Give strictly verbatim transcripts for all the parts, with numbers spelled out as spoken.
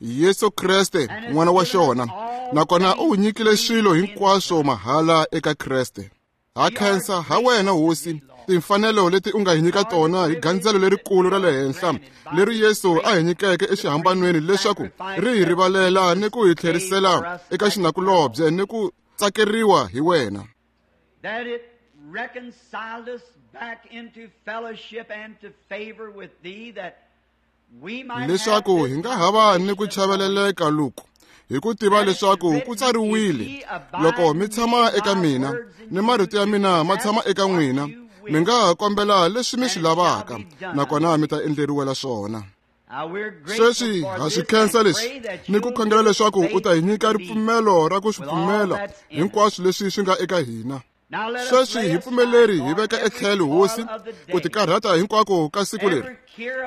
Yesu Kreste n'wana wa xona, nakona u nyikile swilo hinkwaswo mahala eka Kreste. Ha khensa ha wena Hosi timfanelo leti u nga hi nyika tona hi gandzelo lerikulu ra le henhla leri Yesu a hi nyikeke exihambanweni leswaku ri hi rivalela ni ku hi tlherisela eka xinakulobye ni ku tsakeriwa hi wena. That it reconciled us back into fellowship and to favor with thee, that we might leswaku hi nga hava ni ku chaveleleka loku hi ku tiva leswaku ku tsariwile, loko mi tshama eka mina ni marito ya mina ma tshama eka n'wina, mi nga ha kombela leswi mi swi lavaka nakona mi ta endleriwela swona. Sweswi ha swi khensa leswi ni ku khongela leswaku u ta hi nyika ripfumelo ra ku swi pfumela hinkwaswo leswi swi nga eka hina. Sweswi hi pfumeleri hi veka etlhelo Hosi ku tikarhata hinkwako ka siku leri,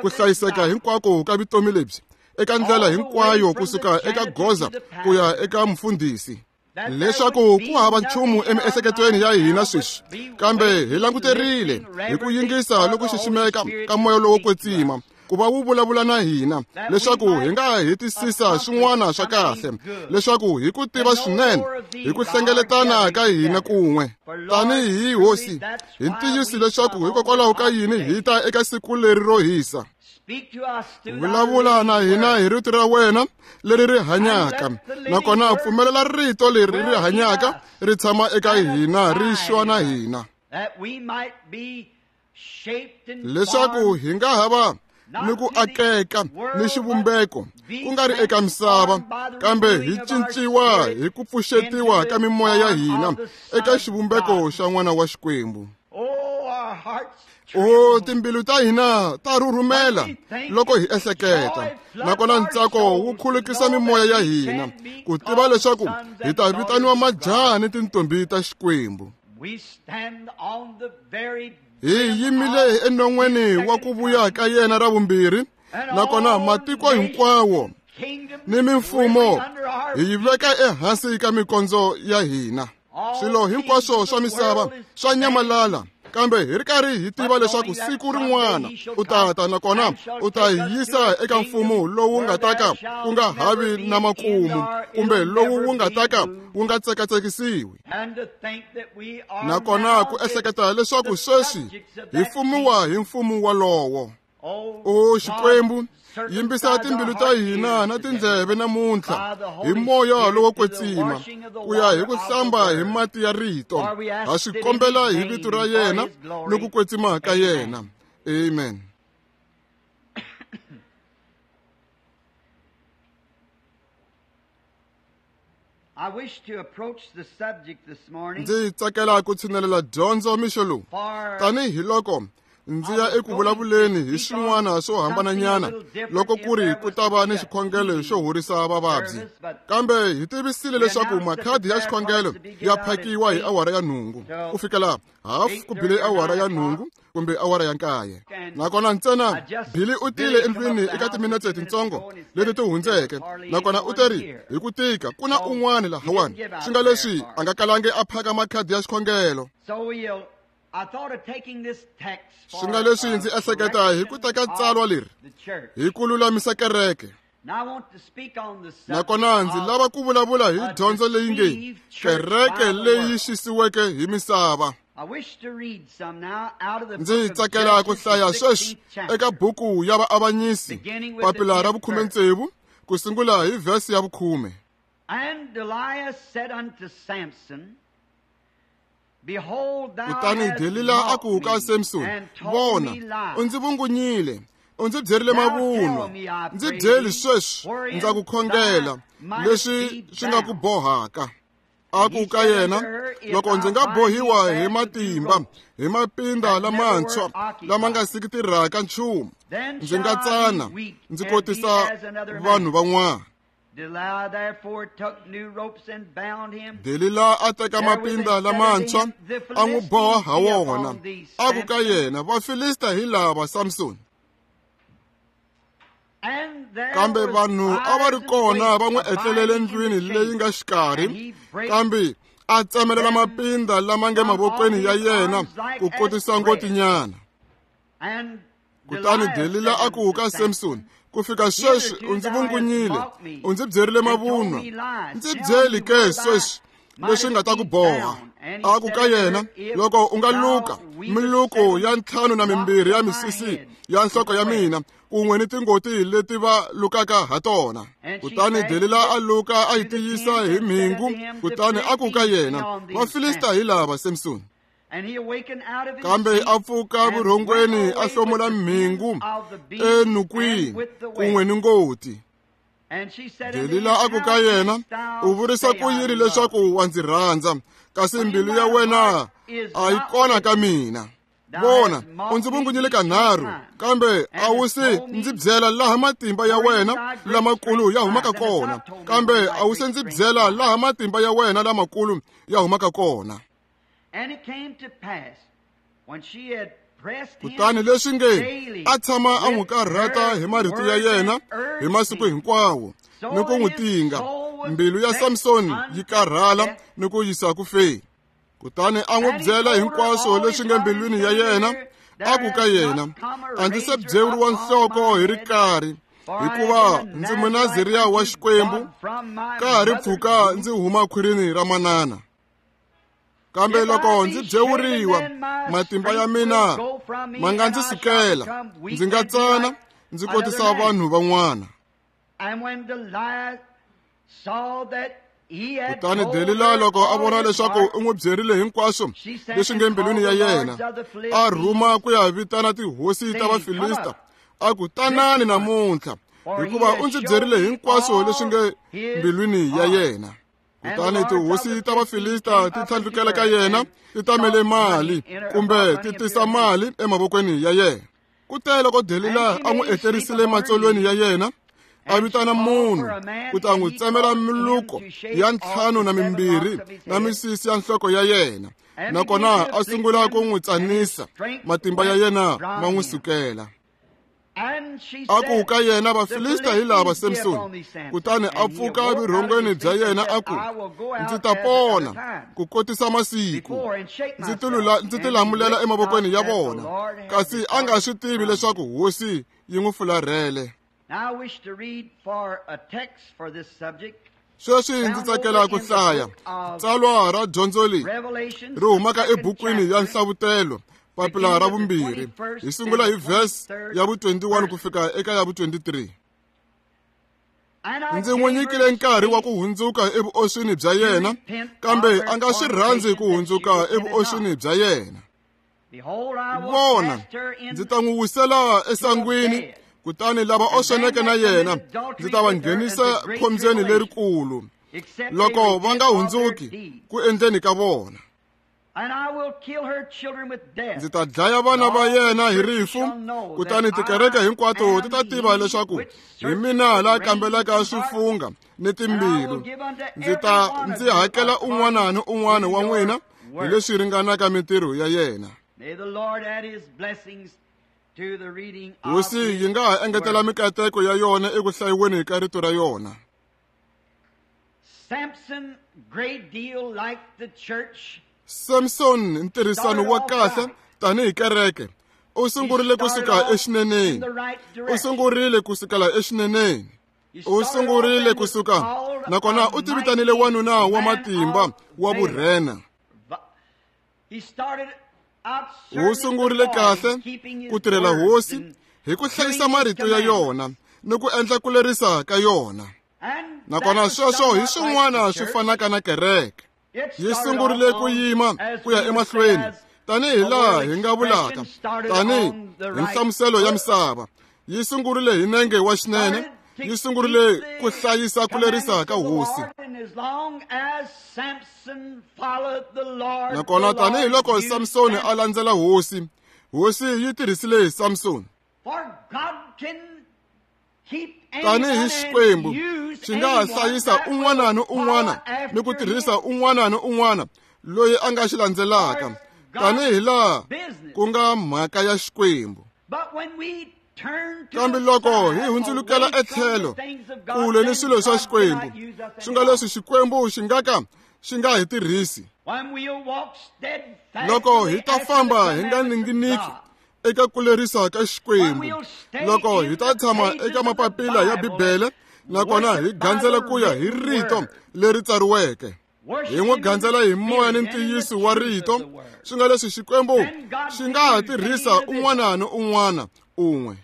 ku hlayiseka hinkwako ka vutomi lebyi eka ndlela hinkwayo kusuka eka goza ku ya eka mfundhisi, leswaku ku hava nchumu emiehleketweni ya hina sweswi, kambe hi languterile hi ku yingisa loko xiximeka ka moya lowo kwetsima ku va wu vulavula na hina, leswaku hi nga hetisisa swin'wana swa kahle, leswaku hi ku tiva swinene hi ku hlengeletana ka hina kun'we tanihi Hosi hi ntiyiso, leswaku hikokwalaho ka yini hi ta eka siku leri ro hisa. Vulavula na hina hi rito ra wena leri ri hanyaka, nakona pfumelela rito leri ri hanyaka ri tshama eka hina ri xwa na hina, leswaku hi nga hava ni ku akeka ni xivumbeko ku nga ri eka misava, kambe hi cinciwa hi ku pfuxetiwa ka mimoya ya hina eka xivumbeko xa n'wana wa Xikwembu. O timbilu ta hina ta rhurhumela loko hi ehleketa, nakona ntsako wu khulukisa mimoya ya hina ku tiva leswaku hi ta vitaniwa majaha ni tintombi ta Xikwembu. Hi yimile enon'weni wa ku vuya ka yena ra vumbirhi, nakona matiko hinkwawo ni mimfumo hi yi veka ehansi ka mikondzo ya hina. Swilo hinkwaswo swa misava swa nyamalala, kambe hi ri karhi hi tiva leswaku siku rin'wana u ta ta, nakona u ta hi yisa eka mfumo lowu nga ta ka ku nga havi na makumu, kumbe lowu wu nga ta ka wu nga tsekatsekisiwi. Nakona ku ehleketa leswaku sweswi hi fumiwa hi mfumo walowo. O Xikwembu, yimbisa timbilu ta hina na tindleve namuntlha hi moya lowo kwetsima ku ya hi ku hlamba hi mati ya rito. Ha swi kombela hi vito ra yena ni ku kwetsima ka yena. Amen. Ndzi tsakela ku tshinelela dyondzo mixo lowu tanihi loko ndzi ya eku vulavuleni hi swin'wana swo hambananyana loko ku ri ku ta va ni xikhongelo xo horisa vavabyi, kambe hi tivisile leswaku makhadi ya xikhongelo ya phakiwa hi awara ya nhungu ku fikela hafu ku bile awara ya nhungu kumbe awara ya nkaye. Nakona ntsena Billy u tile endlwini eka timinetse tintsongo leti ti hundzeke, nakona u teri hi ku tika ku na un'wana lahawani, swi nga leswi a nga kalangi a phaka makhadi ya xikhongelo. Swi nga leswi ndzi ehleketa hi ku teka tsalwa leri hi ku lulamisa kereke, nakona ndzi lava ku vulavula hi dyondzo leyi nge kereke leyi xisiweke hi misava. Ndzi tsakela ku hlaya sweswi eka buku ya Vaavanyisi papila ra vukhume tsevu ku sungula hi vhesi ya vukhume. Kutani Delila a ku ka Samson, vona, u ndzi vungunyile, u ndzi byerile mavunwa, ndzi byeli sweswi ndza ku khongela leswi swi nga ku bohaka. A ku ka yena, loko ndzi nga bohiwa hi matimba hi mapinda lamantshwa lama nga siki tirhaka nchumu, ndzi nga tsana ndzi kotisa vanhu van'wana. Delila a teka mapinda lamantshwa a n'wi boha ha wona, a ku ka yena, Vafilista hi lava, Samson. Kambe vanhu a va ri kona va n'wi etlelele ndlwini leyi nga xikarhi, kambe a tsemelela mapinda lama nge mavokweni ya yena ku kotisa ngotinyana. Kutani Delila a ku ka Samson, ku fika sweswi u ndzi vungunyile, u ndzi byerile mavunwa. Ndzi byeli ke sweswi leswi nga ta ku boha. A ku ka yena, loko u nga luka miluko ya ntlhanu na mimbirhi ya misisi ya nhloko ya mina kun'we ni tingoti leti va lukaka ha tona. Kutani Delila a luka a yi tiyisa hi mhingu, kutani a ku ka yena, Vafilista hi lava, Samson. Kambe a pfuka vurhongweni a hlomula mhingu enukwini kun'we ni ngoti. Delila a ku ka yena, u vurisa ku yini leswaku wa ndzi rhandza, kasi mbilu ya wena a yi kona ka mina? Vona, u ndzi vungunyile kanharhu, kambe a wu se ndzi byela laha matimba ya wena lamakulu ya humaka kona, kambe a wu se ndzi byela laha matimba ya wena lamakulu ya humaka kona. Kutani leswi nge a tshama a n'wi karhata hi marito ya yena hi masiku hinkwawo ni ku n'wi tinga, mbilu ya Samson yi karhala ni ku yisa ku feni. Kutani a n'wi byela hinkwaswo leswi nge mbilwini ya yena, a ku ka yena, a ndzi se byewuriwa nhloko hi rikari, hikuva ndzi Munaziriya wa Xikwembu, ka ha ri pfuka ndzi huma khwirini ra manana. Kambe loko ndzi byewuriwa, matimba ya mina ma nga ndzi sukela, ndzi nga tsana, ndzi kotisa vanhu van'wana. Kutani Delila loko a vona leswaku u n'wi byerile hinkwaswo leswi nge mbilwini ya yena, a rhuma ku ya vitana tihosi ta Vafilista, a ku, tanani namuntlha, hikuva u ndzi byerile hinkwaswo leswi nge mbilwini ya yena. Kutani tihosi ta Vafilista ti tlhandlukela ka yena, ti tamele mali kumbe ti tisa mali emavokweni ya yena. Kute loko Delila a n'wi etlerisile matsolweni ya yena, a vitana munhu ku ta n'wi tsemela miluko ya ntlhanu na mimbirhi na misisi ya nhloko ya yena, nakona a sungula ku n'wi tsanisa, matimba ya yena ma n'wi sukela. A ku ka yena, Vafilista hi lava, Samson. Kutani a pfuka vurhongweni bya yena a ku, ndzi ta pona ku kotisa masiku, ndzi tilula ndzi tilamulela emavokweni ya vona. Kasi a nga swi tivi leswaku hosi yi n'wi fularhele. Sweswi ndzi tsakela ku hlaya tsalwa ra dyondzo leyi ri humaka ebukwini ya Nhlavutelo, papila ra vumbirhi. Hi sungula hi verse ya vu twenty-one ku fika eka ya vu twenty-three. Ndzi n'wi nyikile nkarhi wa ku hundzuka evuoswini bya yena, kambe a nga swi rhandzi ku hundzuka evuoswini bya yena. Vona, ndzi ta n'wi wisela esangwini, kutani lava osweneke na yena ndzi ta va nghenisa khombyeni lerikulu, loko va nga hundzuki ku endleni ka vona. Ndzi ta dlaya vana va yena hi rifu, kutani tikereke hinkwato ti ta tiva leswaku hi mina la kambelaka swifunga ni timbilu. Ndzi ta ndzi hakela un'wana ni un'wana wa n'wina hi leswi ringanaka mintirho ya yena. Hosi yi nga ha engetela mikateko ya yona eku hlayiweni ka rito ra yona. Samson, great deal like the church. Samson ntirhisano wa kahle tanihi kereke u sungurile ku suka exineneni, u sungurile ku sukela exineneni, u sungurile ku suka, nakona u tivitanile wanuna wa matimba wa vurhena. U sungurile kahle ku tirhela hosi hi ku hlayisa marito ya yona ni ku endla ku lerisa ka yona. Nakona sweswo hi swin'wana swi fanaka na kereke. Yi sungurile ku yima ku ya emahlweni tanihi laha hi nga vulaka tanihi hi nhlamuselo ya misava. Yi sungurile hi nenge wa xinene, yi sungurile ku hlayisa ku lerisa ka hosi. Nakona tanihiloko Samsoni a landzela hosi, hosi yi tirhisile Samsoni. Tanihi Xikwembu xi nga ha hlayisa un'wana ni un'wana ni ku tirhisa un'wana ni un'wana loyi a nga xi landzelaka, tanihi laha ku nga mhaka ya Xikwembu. Kambe loko hi hundzulukela etlhelo kule ni swilo swa Xikwembu, swi nga leswi Xikwembu xi nga ka xi nga hi tirhisi. Loko hi ta famba hi nga ninginiki eka ku lerisa ka Xikwembu. Loko hi ta tshama eka mapapila ya Bibele nakona hi gandzela ku ya hi rito leri tsariweke, hi n'wi gandzela hi moya ni ntiyiso wa rito, swi nga leswi Xikwembu xi nga ha tirhisa un'wana ni un'wana un'we.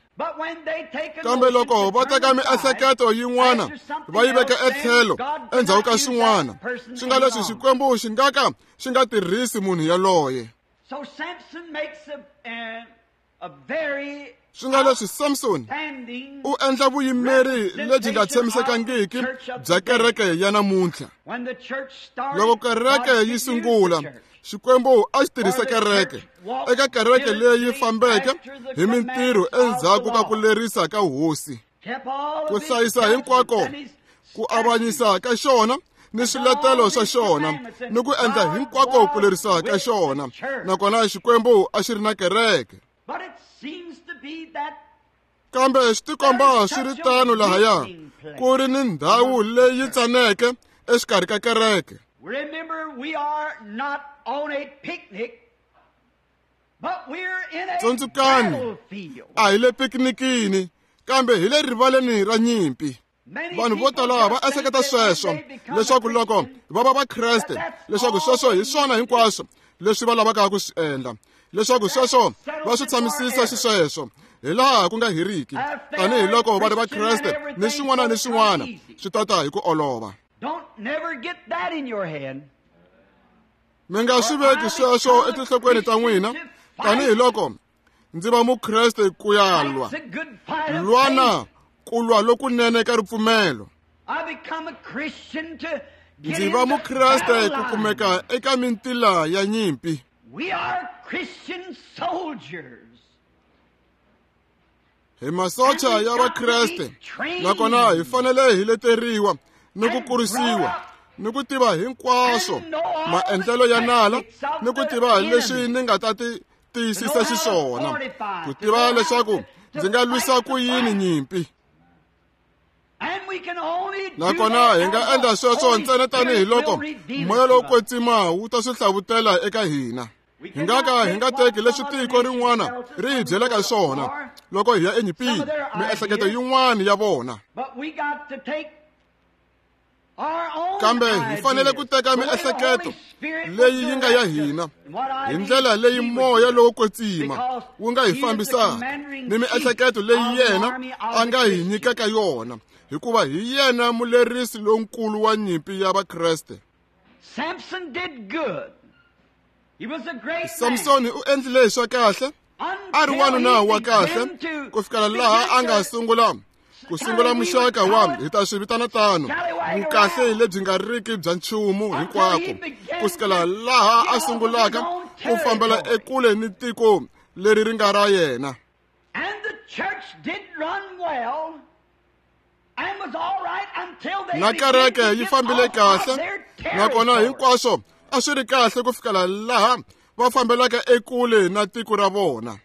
Kambe loko va teka miehleketo yin'wana va yi veka etlhelo endzhaku ka swin'wana, swi nga leswi Xikwembu xi nga ka xi nga tirhisi munhu yaloye. Swi nga leswi Samson u endla vuyimeri lebyi nga tshamisekangiki bya kereke ya namuntlha. Loko kereke yi sungula, Xikwembu a xi tirhisa kereke eka kereke leyi fambeke hi mintirho endzhaku ka ku lerisa ka hosi, ku hlayisa hinkwako ku avanyisa ka xona ni swiletelo swa xona ni ku endla hinkwako ku lerisa ka xona, nakona Xikwembu a xi ri na kereke. Kambe swi tikomba swi ri tano lahaya ku ri ni ndhawu leyi tsaneke exikarhi ka kereke. Tsundzukani, a hi le pikinikini, kambe hi le rivaleni ra nyimpi. Vanhu vo tala va ehleketa sweswo leswaku loko va va Vakreste, leswaku sweswo hi swona hinkwaswo leswi va lavaka ku swi endla, leswaku sweswo va swi tshamisisa xisweswo hi laha ku nga heriki, tanihiloko va ri Vakreste ni swin'wana ni swin'wana swi tata hi ku olova. Mi nga swi veki sweswo etinhlokweni ta n'wina, tanihiloko ndzi va Mukreste ku ya lwa. Lwana ku lwa lokunene ka ripfumelo. Ndzi va Mukreste ku kumeka eka mintila ya nyimpi. Hi masocha ya Vakreste, nakona hi fanele hi leteriwa ni ku kurisiwa ni ku tiva hinkwaswo maendlelo ya nala, ni ku tiva leswi ni nga ta ti tiyisisa xiswona, ku tiva leswaku ndzi nga lwisa ku yini nyimpi. Nakona hi nga endla sweswo ntsena tanihiloko moya lowo kwetsima wu ta swi hlavutela eka hina. Hi nga ka hi nga teki leswi tiko rin'wana ri hi byelaka swona loko hi ya enyimpini, miehleketo yin'wana ya vona. Kambe hi fanele ku teka miehleketo leyi yi nga ya hina hi ndlela leyi moya lowo kwetsima wu nga hi fambisaka, ni miehleketo leyi yena a nga hi nyikaka yona, hikuva hi yena mulerisi lonkulu wa nyimpi ya Vakreste. Samsoni u endlile swa kahle, a ri wanuna wa kahle ku fikela laha a nga sungula ku sungula muxaka wa hi ta swi vitana tano vukahle lebyi nga riki bya nchumu hinkwako, ku sukela laha a sungulaka ku fambela ekule ni tiko leri ri nga ra yena. Na kereke yi fambile kahle, nakona hinkwaswo a swi ri kahle ku fikela laha va fambelaka ekule na tiko ra vona.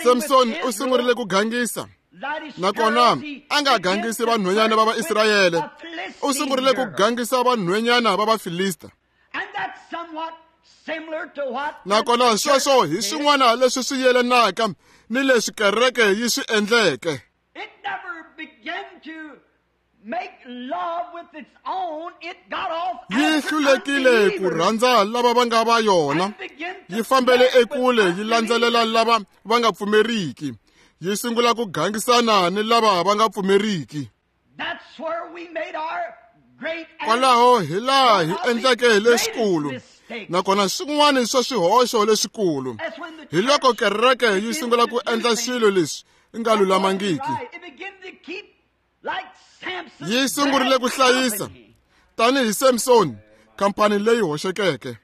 Samson u sungurile ku gangisa, nakona a nga gangisi vanhwanyana va Vaisrayele, u sungurile ku gangisa vanhwanyana va Vafilista. Nakona sweswo hi swin'wana leswi swi yelanaka ni leswi kereke yi swi endleke. Yi hlulekile ku rhandza lava va nga va yona, yi fambele ekule yi landzelela lava va nga pfumeriki, yi sungula ku gangisana ni lava va nga pfumeriki. Kwalaho hi laha hi endleke leswikulu, nakona swin'wana swa swihoxo leswikulu hi loko kereke yi sungula ku endla swilo leswi nga lulamangiki. Yi sungurile ku hlayisa tanihi Samson khampani leyi hoxekeke.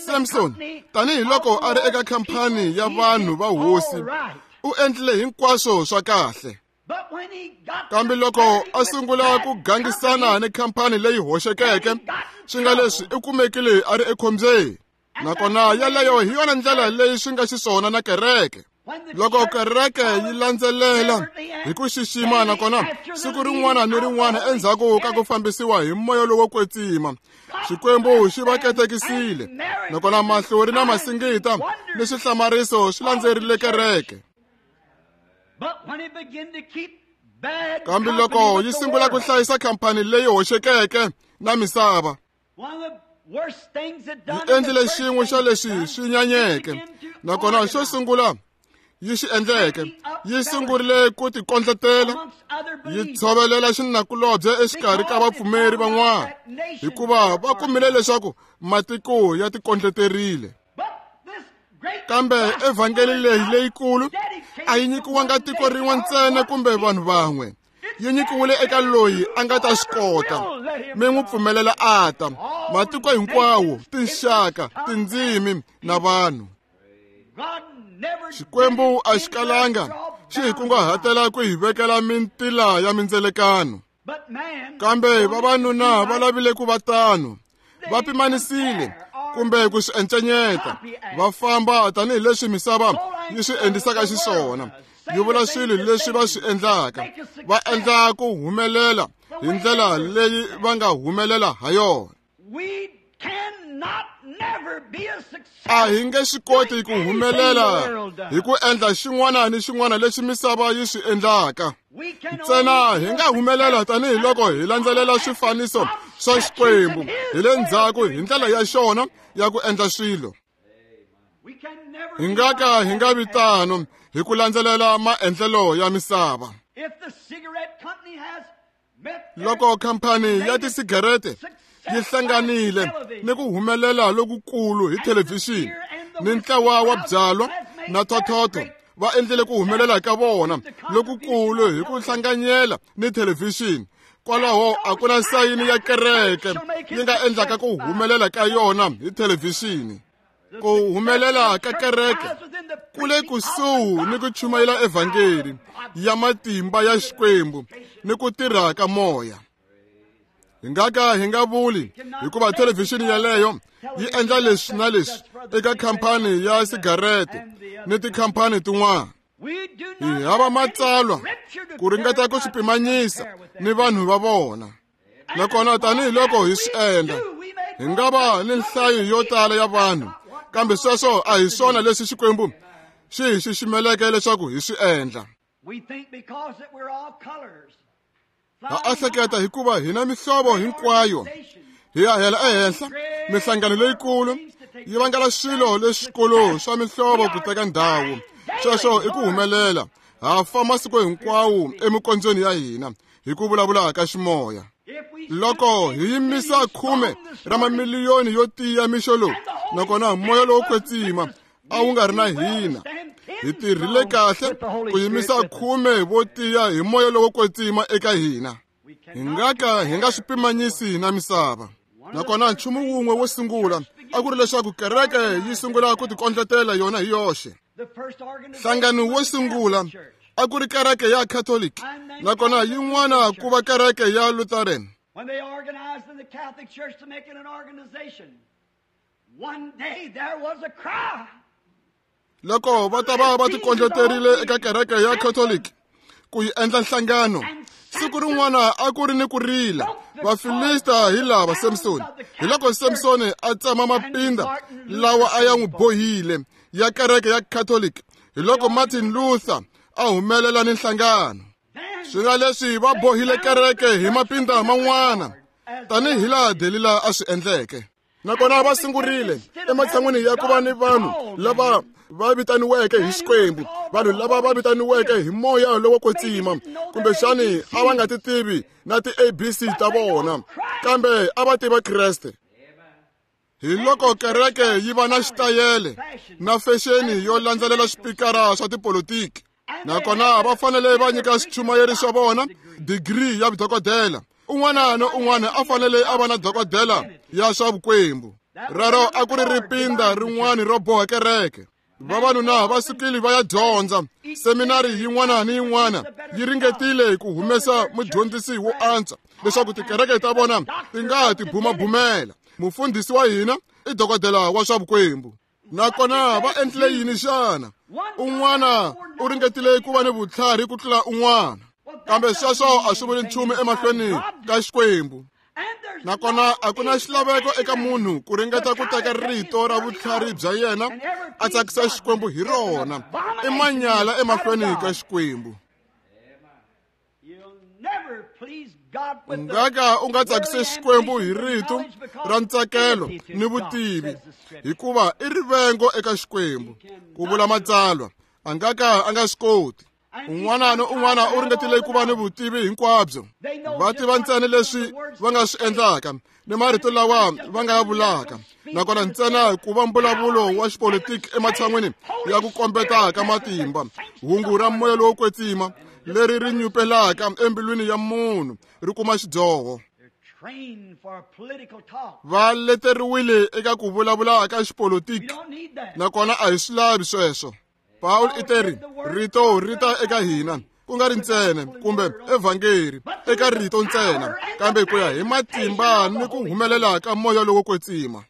Samson tanihiloko a ri eka khampani ya vanhu va hosi, u endlile hinkwaswo swa kahle. Kambe loko a sungula ku gangisana ni khampani leyi hoxekeke, swi nga leswi u kumekile a ri ekhombyeni. Nakona yaleyo hi yona ndlela leyi swi nga xiswona na kereke. Loko kereke yi landzelela hi ku xixima nakona siku rin'wana ni rin'wana endzhaku ka ku fambisiwa hi moya lowo kwetsima, Xikwembu xi va katekisile nakona mahlori na masingita ni swihlamariso swi landzerile kereke. Kambe loko yi sungula ku hlayisa khampani leyi hoxekeke na misava, yi endlile xin'we xa leswi swi nyanyeke nakona xo sungula yi xi endleke yi sungurile ku tikondletela yi tshovelela xinakulobye exikarhi ka vapfumeri van'wana hikuva va kumile leswaku matiko ya tikondleterile. Kambe evhangeli leyi leyikulu a yi nyikiwanga tiko rin'we ntsena kumbe vanhu van'we, yi nyikiwile eka loyi a nga ta swi kota. Mi n'wi pfumelela a ta, matiko hinkwawo, tinxaka, tindzimi na vanhu. Xikwembu a xi kalanga xi hi kunguhatela ku hi vekela mintila ya mindzelekano, kambe vavanuna va lavile ku va tano, va pimanisile kumbe ku swi encenyeta, va famba tanihileswi misava yi swi endlisaka xiswona, yi vula swilo leswi va swi endlaka, va endla ku humelela hi ndlela leyi va nga humelela ha yona. A hi nge swi koti ku humelela hi ku endla xin'wana ni xin'wana lexi misava yi swi endlaka. Ntsena hi nga humelela tanihiloko hi landzelela swifaniso swa Xikwembu hi le ndzhaku hi ndlela ya xona ya ku endla swilo. Hi nga ka hi nga vi tano hi ku landzelela maendlelo ya misava. Loko khampani ya tisigarete yi hlanganile ni ku humelela lokukulu hi thelevhixini ni ntlawa wa byalwa na thothotho va endlile ku humelela ka vona lokukulu hi ku hlanganyela ni thelevhixini, kwalaho a ku na sayini ya kereke yi nga endlaka ku humelela ka yona hi thelevhixini. Ku humelela ka kereke ku le kusuhi ni ku chumayela evhangeli ya matimba ya Xikwembu ni ku tirha ka moya. Hi nga ka hi nga vuli hikuva thelevhixini yaleyo yi endla leswi na leswi eka khampani ya sigarete ni tikhampani tin'wana. Hi hava matsalwa ku ringeta ku swi pimanyisa ni vanhu va vona. Nakona tanihiloko hi swi endla, hi nga va ni nhlayo yo tala ya vanhu, kambe sweswo a hi swona leswi Xikwembu xi hi xiximeleke leswaku hi swi endla. Ha ehleketa hikuva hina mihlovo hinkwayo hi ya hela ehenhla, mihlangano leyikulu yi vangela swilo leswikulu swa mihlovo ku teka ndhawu. Sweswo i ku humelela. Ha fa masiku hinkwawo emikondzweni ya hina hi ku vulavula ka ximoya. Loko hi yimisa khume ra mamiliyoni yo tiya mixo lowu, nakona moya lowo kwetsima a wu nga ri na hina, hi tirhile kahle ku yimisa khume vo tiya hi moya lowo kwetsima eka hina. Hi nga ka hi nga swi pimanyisi na misava. Nakona nchumu wun'we wo sungula a ku ri leswaku kereke yi sungula ku tikondletela yona hi yoxe. Nhlangano wo sungula a ku ri kereke ya Catholic, nakona yin'wana ku va kereke ya Lutheran. When they organized in the Catholic Church to make it an organization, one day there was a cry. Loko va ta va va tikondleterile eka kereke ya Catholic ku yi endla nhlangano, siku rin'wana a ku ri ni ku rila. Vafilista hi lava Samsoni. Hi loko Samsoni a tsema mapinda lawa a ya n'wi bohile ya kereke ya Catholic, hi loko Martin Luther a humelela ni nhlangano. Swi nga leswi va bohile kereke hi mapinda man'wana tanihi laha Delila a swi endleke. Nakona va sungurile ematshan'wini ya ku va ni vanhu lava va vitaniweke hi Xikwembu, vanhu lava va vitaniweke hi moya lowo kwetsima, kumbexani a va nga ti tivi na ti-A B C ta vona, kambe a va tiva Kreste. Hi loko kereke yi va na xitayele na fexeni yo landzelela swipikara swa tipolotiki, nakona va fanele va nyika swichumayeri swa vona digiri ya vudokodela. Un'wana na un'wana a fanele a va na dokodela ya swa vukwembu. Rero a ku ri ripinda rin'wana ro boha kereke. Vavanuna va sukile va ya dyondza. Seminari yin'wana ni yin'wana yi ringetile ku humesa mudyondzisi wo antswa leswaku tikereke ta vona ti nga tibumabumela. Mufundhisi wa hina i dokodela wa swa vukwembu. Nakona va endlile yini xana? Un'wana u ringetile ku va ni vutlhari ku tlula un'wana, kambe sweswo a swi vuli nchumu emahlweni ka Xikwembu. Nakona a ku na xilaveko eka munhu ku ringeta ku teka rito ra vutlhari bya yena a tsakisa Xikwembu hi rona. I manyala emahlweni ka Xikwembu. U nga ka u nga tsakisi Xikwembu hi rito ra ntsakelo ni vutivi, hikuva i rivengo eka Xikwembu, ku vula Matsalwa. A nga ka a nga swi koti. Un'wana ni un'wana u ringetile ku va ni vutivi hinkwabyo. Va tiva ntsena leswi va nga swi endlaka ni marito lawa va nga ya vulaka, nakona ntsena ku va mbulavulo wa xipolitiki ematshan'wini ya ku kombeta ka matimba. Hungu ra moya lowo kwetsima leri ri nyupelaka embilwini ya munhu ri kuma xidyoho. Va leteriwile eka ku vulavula ka xipolitiki, nakona a hi swi lavi sweswo. Paul i teri rito ri ta eka hina, ku nga ri ntsena kumbe evhangeli eka rito ntsena, kambe ku ya hi matimba ni ku humelela ka moya lowo kwetsima.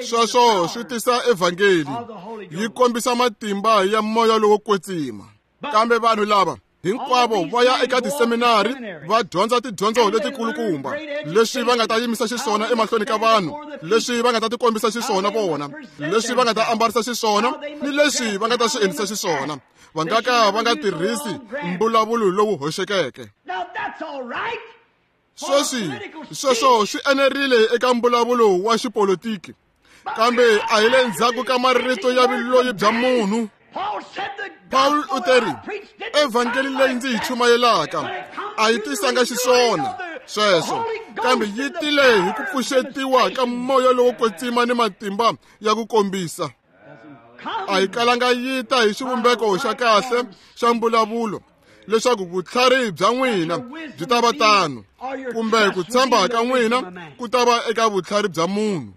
Sweswo swi tisa evhangeli, yi kombisa matimba ya moya lowo kwetsima. Kambe vanhu lava hinkwavo va ya eka tiseminari va dyondza tidyondzo letikulukumba, leswi va nga ta yimisa xiswona emahlweni ka vanhu, leswi va nga ta tikombisa xiswona vona, leswi va nga ta ambarisa xiswona, ni leswi va nga ta swi endlisa xiswona. Va nga ka va nga tirhisi mbulavulo lowu hoxekeke. Sweswi sweswo swi enerile eka mbulavulo wa xipolitiki, kambe a hi le ndzhaku ka marito ya vuloyi bya munhu. Paul u teri evhangeli leyi ndzi yi chumayelaka a yi tisanga xiswona sweswo, kambe yi tile hi ku pfuxetiwa ka moya lowo kwetsima ni matimba ya ku kombisa. A yi kalanga yi ta hi xivumbeko xa kahle xa mbulavulo, leswaku vutlhari bya n'wina byi ta va tano, kumbe ku tshemba ka n'wina ku ta va eka vutlhari bya munhu.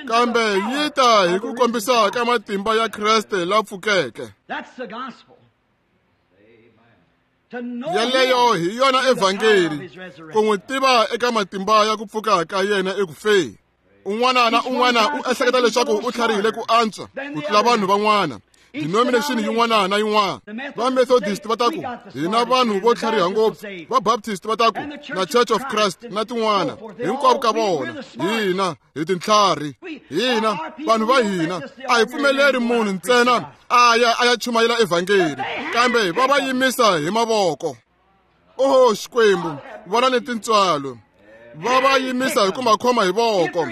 Kambe yi ta hi ku kombisa ka matimba ya Kreste la pfukeke. Yeleyo hi yona evhangeli, ku n'wi tiva eka matimba ya ku pfuka ka yena eku feni. Un'wana na un'wana u ehleketa leswaku u tlharihile ku antswa ku tlula vanhu van'wana. Denomination yin'wana na yin'wana. Va Methodist va ta ku hina vanhu vo tlhariha ngopfu, va Baptist va ta ku na Church of Christ na tin'wana. Hinkwavo ka vona hina hi tintlhari, hina vanhu va hina a hi pfumeleri munhu ntsena a ya a ya chumayela evhangeli, kambe va va yimisa hi mavoko. Oho Xikwembu, vona ni tintswalo. Va va yimisa hi ku makhoma hi voko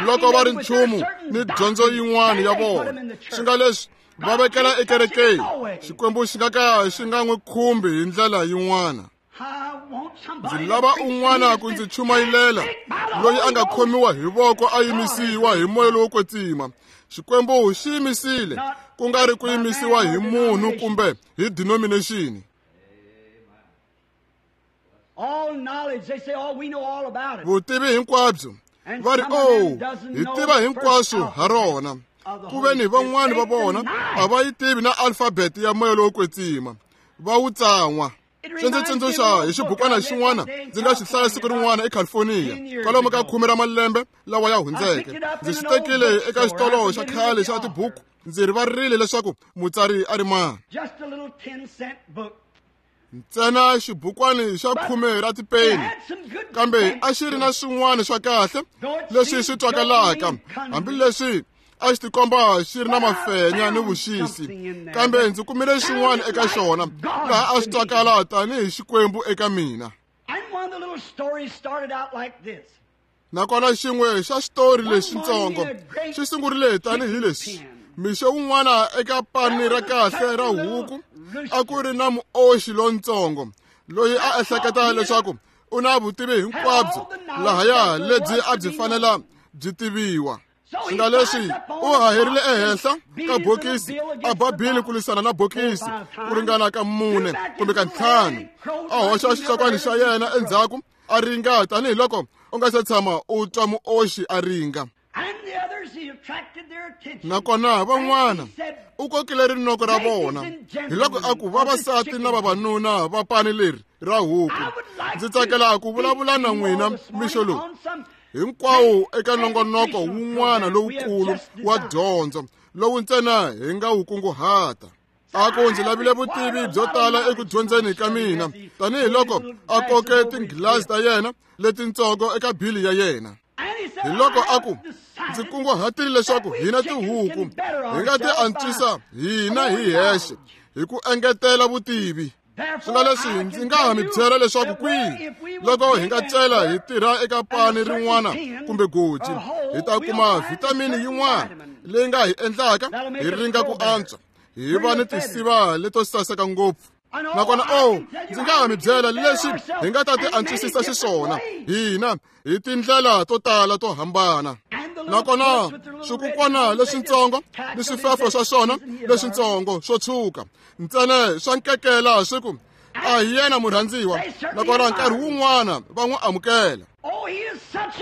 loko va ri nchumu ni dyondzo yin'wana ya vona. Swi nga leswi va vekela ekerekeni, Xikwembu xi nga ka xi nga n'wi khumbi hi ndlela yin'wana. Ndzi lava un'wana ku ndzi chumayilela loyi a nga khomiwa hi voko a yimisiwa hi moya lowo kwetsima. Xikwembu xi yimisile, ku nga ri ku yimisiwa hi munhu kumbe hi denomination. Vutivi hinkwabyo va ri, oh, hi tiva hinkwaswo ha rona. Ku ve ni van'wani va vona a va yi tivi na alfabet ya moya lowo kwetsima, va wu tsan'wa. Swi ndzi tsundzuxa hi xibukwana xin'wana ndzi nga xi hlaya siku rin'wana eCalifornia, kwalomu ka khume ra malembe lawa ya hundzeke. Ndzi xi tekile eka xitolo xa khale xa tibuku, ndzi rivarile leswaku mutsari a ri mani. Ntsena xibukwani xa khume ra tipeni, kambe a xi ri na swin'wana swa kahle leswi swi twakalaka, hambileswi a xi tikomba xi ri na mafenya ni vuxisi. Kambe ndzi kumile xin'wana eka xona laha a swi twakala tanihi Xikwembu eka mina. Nakona xin'we xa xitori lexitsongo xi sungurile tanihi leswi. Mixo wun'wana eka pani ra kahle ra huku a ku ri na muoxi lontsongo loyi a ehleketa leswaku u na vutivi hinkwabyo lahaya lebyi a byi fanela byi tiviwa. Swi nga leswi u haherile ehenhla ka bokisi, a ba bili ku lwisana na bokisi ku ringana ka mune kumbe ka ntlhanu, a hoxa xihlokwana xa yena endzhaku a ringa tanihiloko u nga se tshama u twa muoxi a ringa. Nakona van'wana u kokile rinoko ra vona, hiloko a ku vavasati na vavanuna va pani leri ra huku. Ndzi tsakela ku vulavula na n'wina mixo lowu hinkwawo eka nongonoko wun'wana lowukulu wa dyondzo lowu ntsena hi nga wu kunguhata. A ku ndzi lavile vutivi byo tala eku dyondzeni ka mina, tanihiloko a koke tinghilazi ta yena letitsongo eka bili ya yena. Hi loko a ku ndzi kunguhatile leswaku hina tihuku hi nga ti antswisa hina hi hexe hi ku engetela vutivi. Swi nga leswi ndzi nga ha mi byela leswaku kwihi loko hi nga cela hi tirha eka pani rin'wana kumbe goji, hi ta kuma vhitamini yin'wana leyi nga hi endlaka hi ringa ku antswa, hi va ni tisiva leto saseka ngopfu. Nakona o ndzi nga ha mi byela leswi hi nga ta ti antswisisa xiswona hina hi tindlela to tala to hambana. Nakona swikukwana leswitsongo ni swifefo swa swona leswitsongo swo tshuka ntsena swa nkekela swi ku a hi yena murhandziwa. Nakona nkarhi wun'wana va n'wi amukela.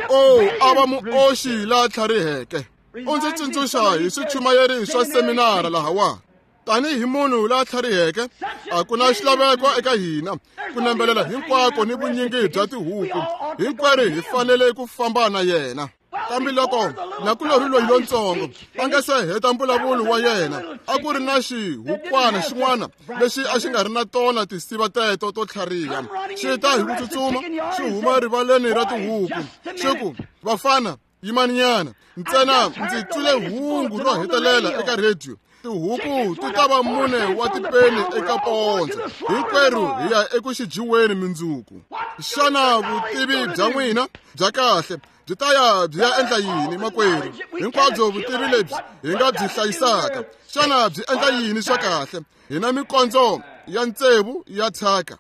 O a va muoxi la tlhariheke. U ndzi tsundzuxa hi swichumayeri swa seminara lahawa. Tanihi munhu la tlhariheke, a ku na xilaveko eka hina ku nambelela hinkwako ni vunyingi bya tihuku. Hinkwerhu hi fanele ku famba na yena. Kambe loko nakulorhi loyi lontsongo a nga se heta mbulavulo wa yena, a ku ri na xihukwana xin'wana lexi a xi nga ri na tona tisiva teto to tlhariha. Xi ta hi ku tsutsuma xi huma rivaleni ra tihuku, xi ku, "Vafana, yimaninyana, ntsena ndzi twile hungu ro hetelela eka rhediyo. Tihuku ti ta va mune wa tipeni eka pondzo. Hinkwerhu hi ya eku xijiweni mindzuku. Xana vutivi bya n'wina bya kahle byi ta ya byi ya endla yini makwerhu? Hinkwabyo vutivi lebyi hi nga byi hlayisaka, xana byi endla yini swa kahle? Hi na mikondzo ya ntsevu ya thyaka."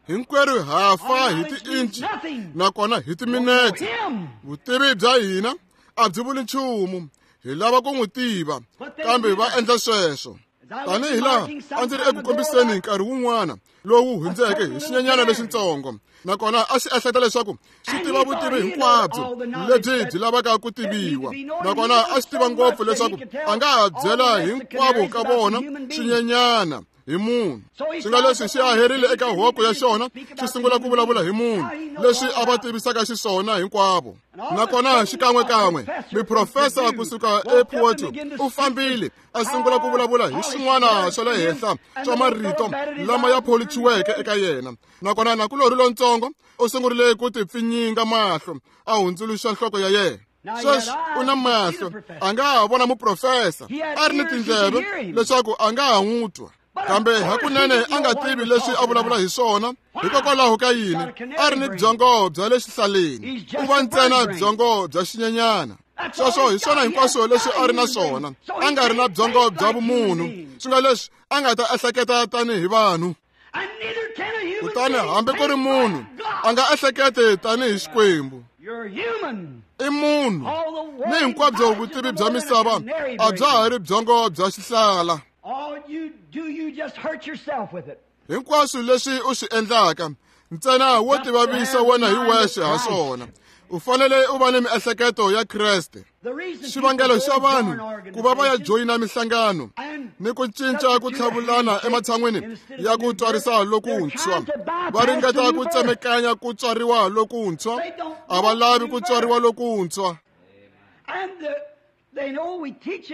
Hinkwerhu ha fa hi tiinchi nakona hi timinete. Vutivi bya hina a byi vuli nchumu. Hi lava ku n'wi tiva, kambe va endla sweswo. Tanihi laha a ndzi ri eku kombiseni nkarhi wun'wana lowu hundzeke hi xinyenyana lexitsongo, nakona a xi ehleketa leswaku xi tiva vutivi hinkwabyo lebyi byi lavaka ku tiviwa. Nakona a xi tiva ngopfu leswaku a nga ha byela hinkwavo ka vona xinyenyana hi munhu. Swi nga leswi xi aherile eka hoko ya xona, xi sungula ku vulavula hi munhu leswi a va tivisaka xiswona hinkwavo. Nakona xikan'wekan'we miprofesa kusuka ePorto u fambile a sungula ku vulavula hi swin'wana swa le henhla swa marito lama ya pholichiweke eka yena. Nakona nakulorhi lontsongo u sungurile ku tipfinyinga mahlo, a hundzuluxa nhloko ya yena. Sweswi u na mahlo, a nga ha vona muprofesa, a ri ni tindleve leswaku a nga ha n'wi twa. Kambe hakunene a nga tivi leswi a vulavula hi swona. Hikokwalaho ka yini? A ri ni byongo bya le xihlaleni. U va ntsena byongo bya xinyenyana. Sweswo hi swona hinkwaswo leswi a ri na swona. A nga ri na byongo bya vumunhu, swi nga leswi a nga ta ehleketa tanihi vanhu. Kutani hambi ku ri munhu a nga ehleketi tanihi Xikwembu. I munhu ni hinkwabyo vutivi bya misava a bya ha ri byongo bya xihlala. Hinkwaswo leswi u swi endlaka ntsena wo tivavisa wena hi wexe ha swona. U fanele u va ni miehleketo ya Kreste. Xivangelo xa vanhu ku va va ya joyina mihlangano ni ku cinca ku tlhavulana ematshan'wini ya ku tswarisa lokuntshwa, va ringeta ku tsemekanya ku tswariwa lokuntshwa. A va lavi ku tswariwa lokuntshwa.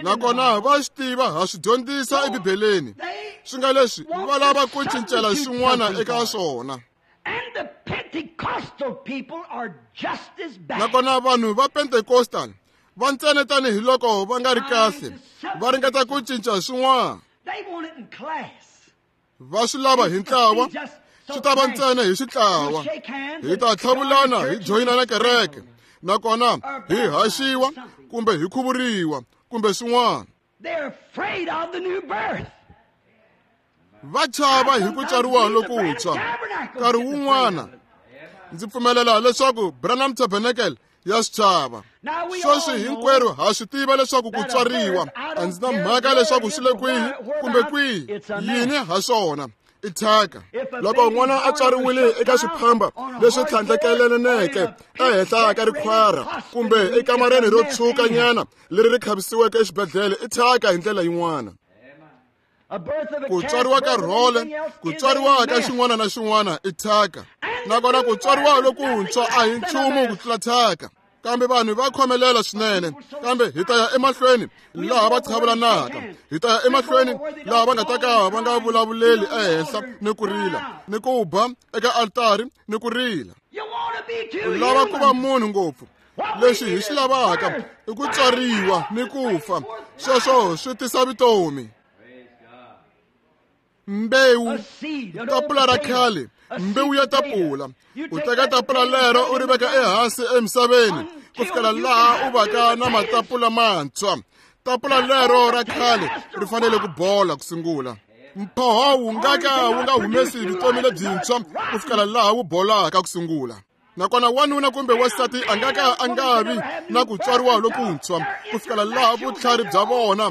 Nakona va swi tiva, ha swi dyondzisa eBibeleni. Swi nga leswi va lava ku cincela xin'wana eka swona. Nakona vanhu va Pentecostal va ntsena tanihiloko va nga ri kahle, va ringeta ku cinca swin'wana. Va swi lava hi ntlawa, swi ta va ntsena hi xitlawa. Hi ta tlhavulana hi joyinana kereke, nakona hi haxiwa kumbe hi khuvuriwa kumbe swin'wana. Va chava hi ku tswariwa lokuntshwa. Nkarhi wun'wana ndzi pfumelela leswaku Branham Tabernacle ya swi chava. Sweswi hinkwerhu ha swi tiva leswaku ku tswariwa a ndzi na mhaka leswaku swi le kwihi kumbe kwihi yini ha swona. I thyaka. Loko n'wana a tswariwile eka swiphamba leswi tlhandlekelaneke ehenhla ka rikhwara kumbe ekamareni ro tshwukanyana leri ri khavisiweke exibedhlele, i thyaka hi ndlela yin'wana. Ku tswariwa ka rhole, ku tswariwa ka xin'wana na xin'wana i thyaka. Nakona ku tswariwa lokuntshwa a hi nchumu ku tlula thyaka. Kambe vanhu va khomelela swinene, kambe hi ta ya emahlweni laha va chavelanaka, hi ta ya emahlweni laha va nga ta ka va nga vulavuleli ehenhla ni ku rila, ni ku ba eka altari ni ku rila. U lava ku va munhu ngopfu. Lexi hi xi lavaka i ku tswariwa ni ku fa. Sweswo swi tisa vutomi. Mbewu, tapula ra khale, mbewu ya tapula. U teka tapula lero u ri veka ehansi emisaveni ku fikela laha u vaka na matapula mantshwa. Tapula lero ra khale ri fanele ku bola ku sungula. Mphoho wu nga ka wu nga humesi vutomi lebyintshwa ku fikela laha wu bolaka ku sungula. Nakona wanuna kumbe wansati a nga ka a nga vi na ku tswariwa lokuntshwa ku fikela laha vutlhari bya vona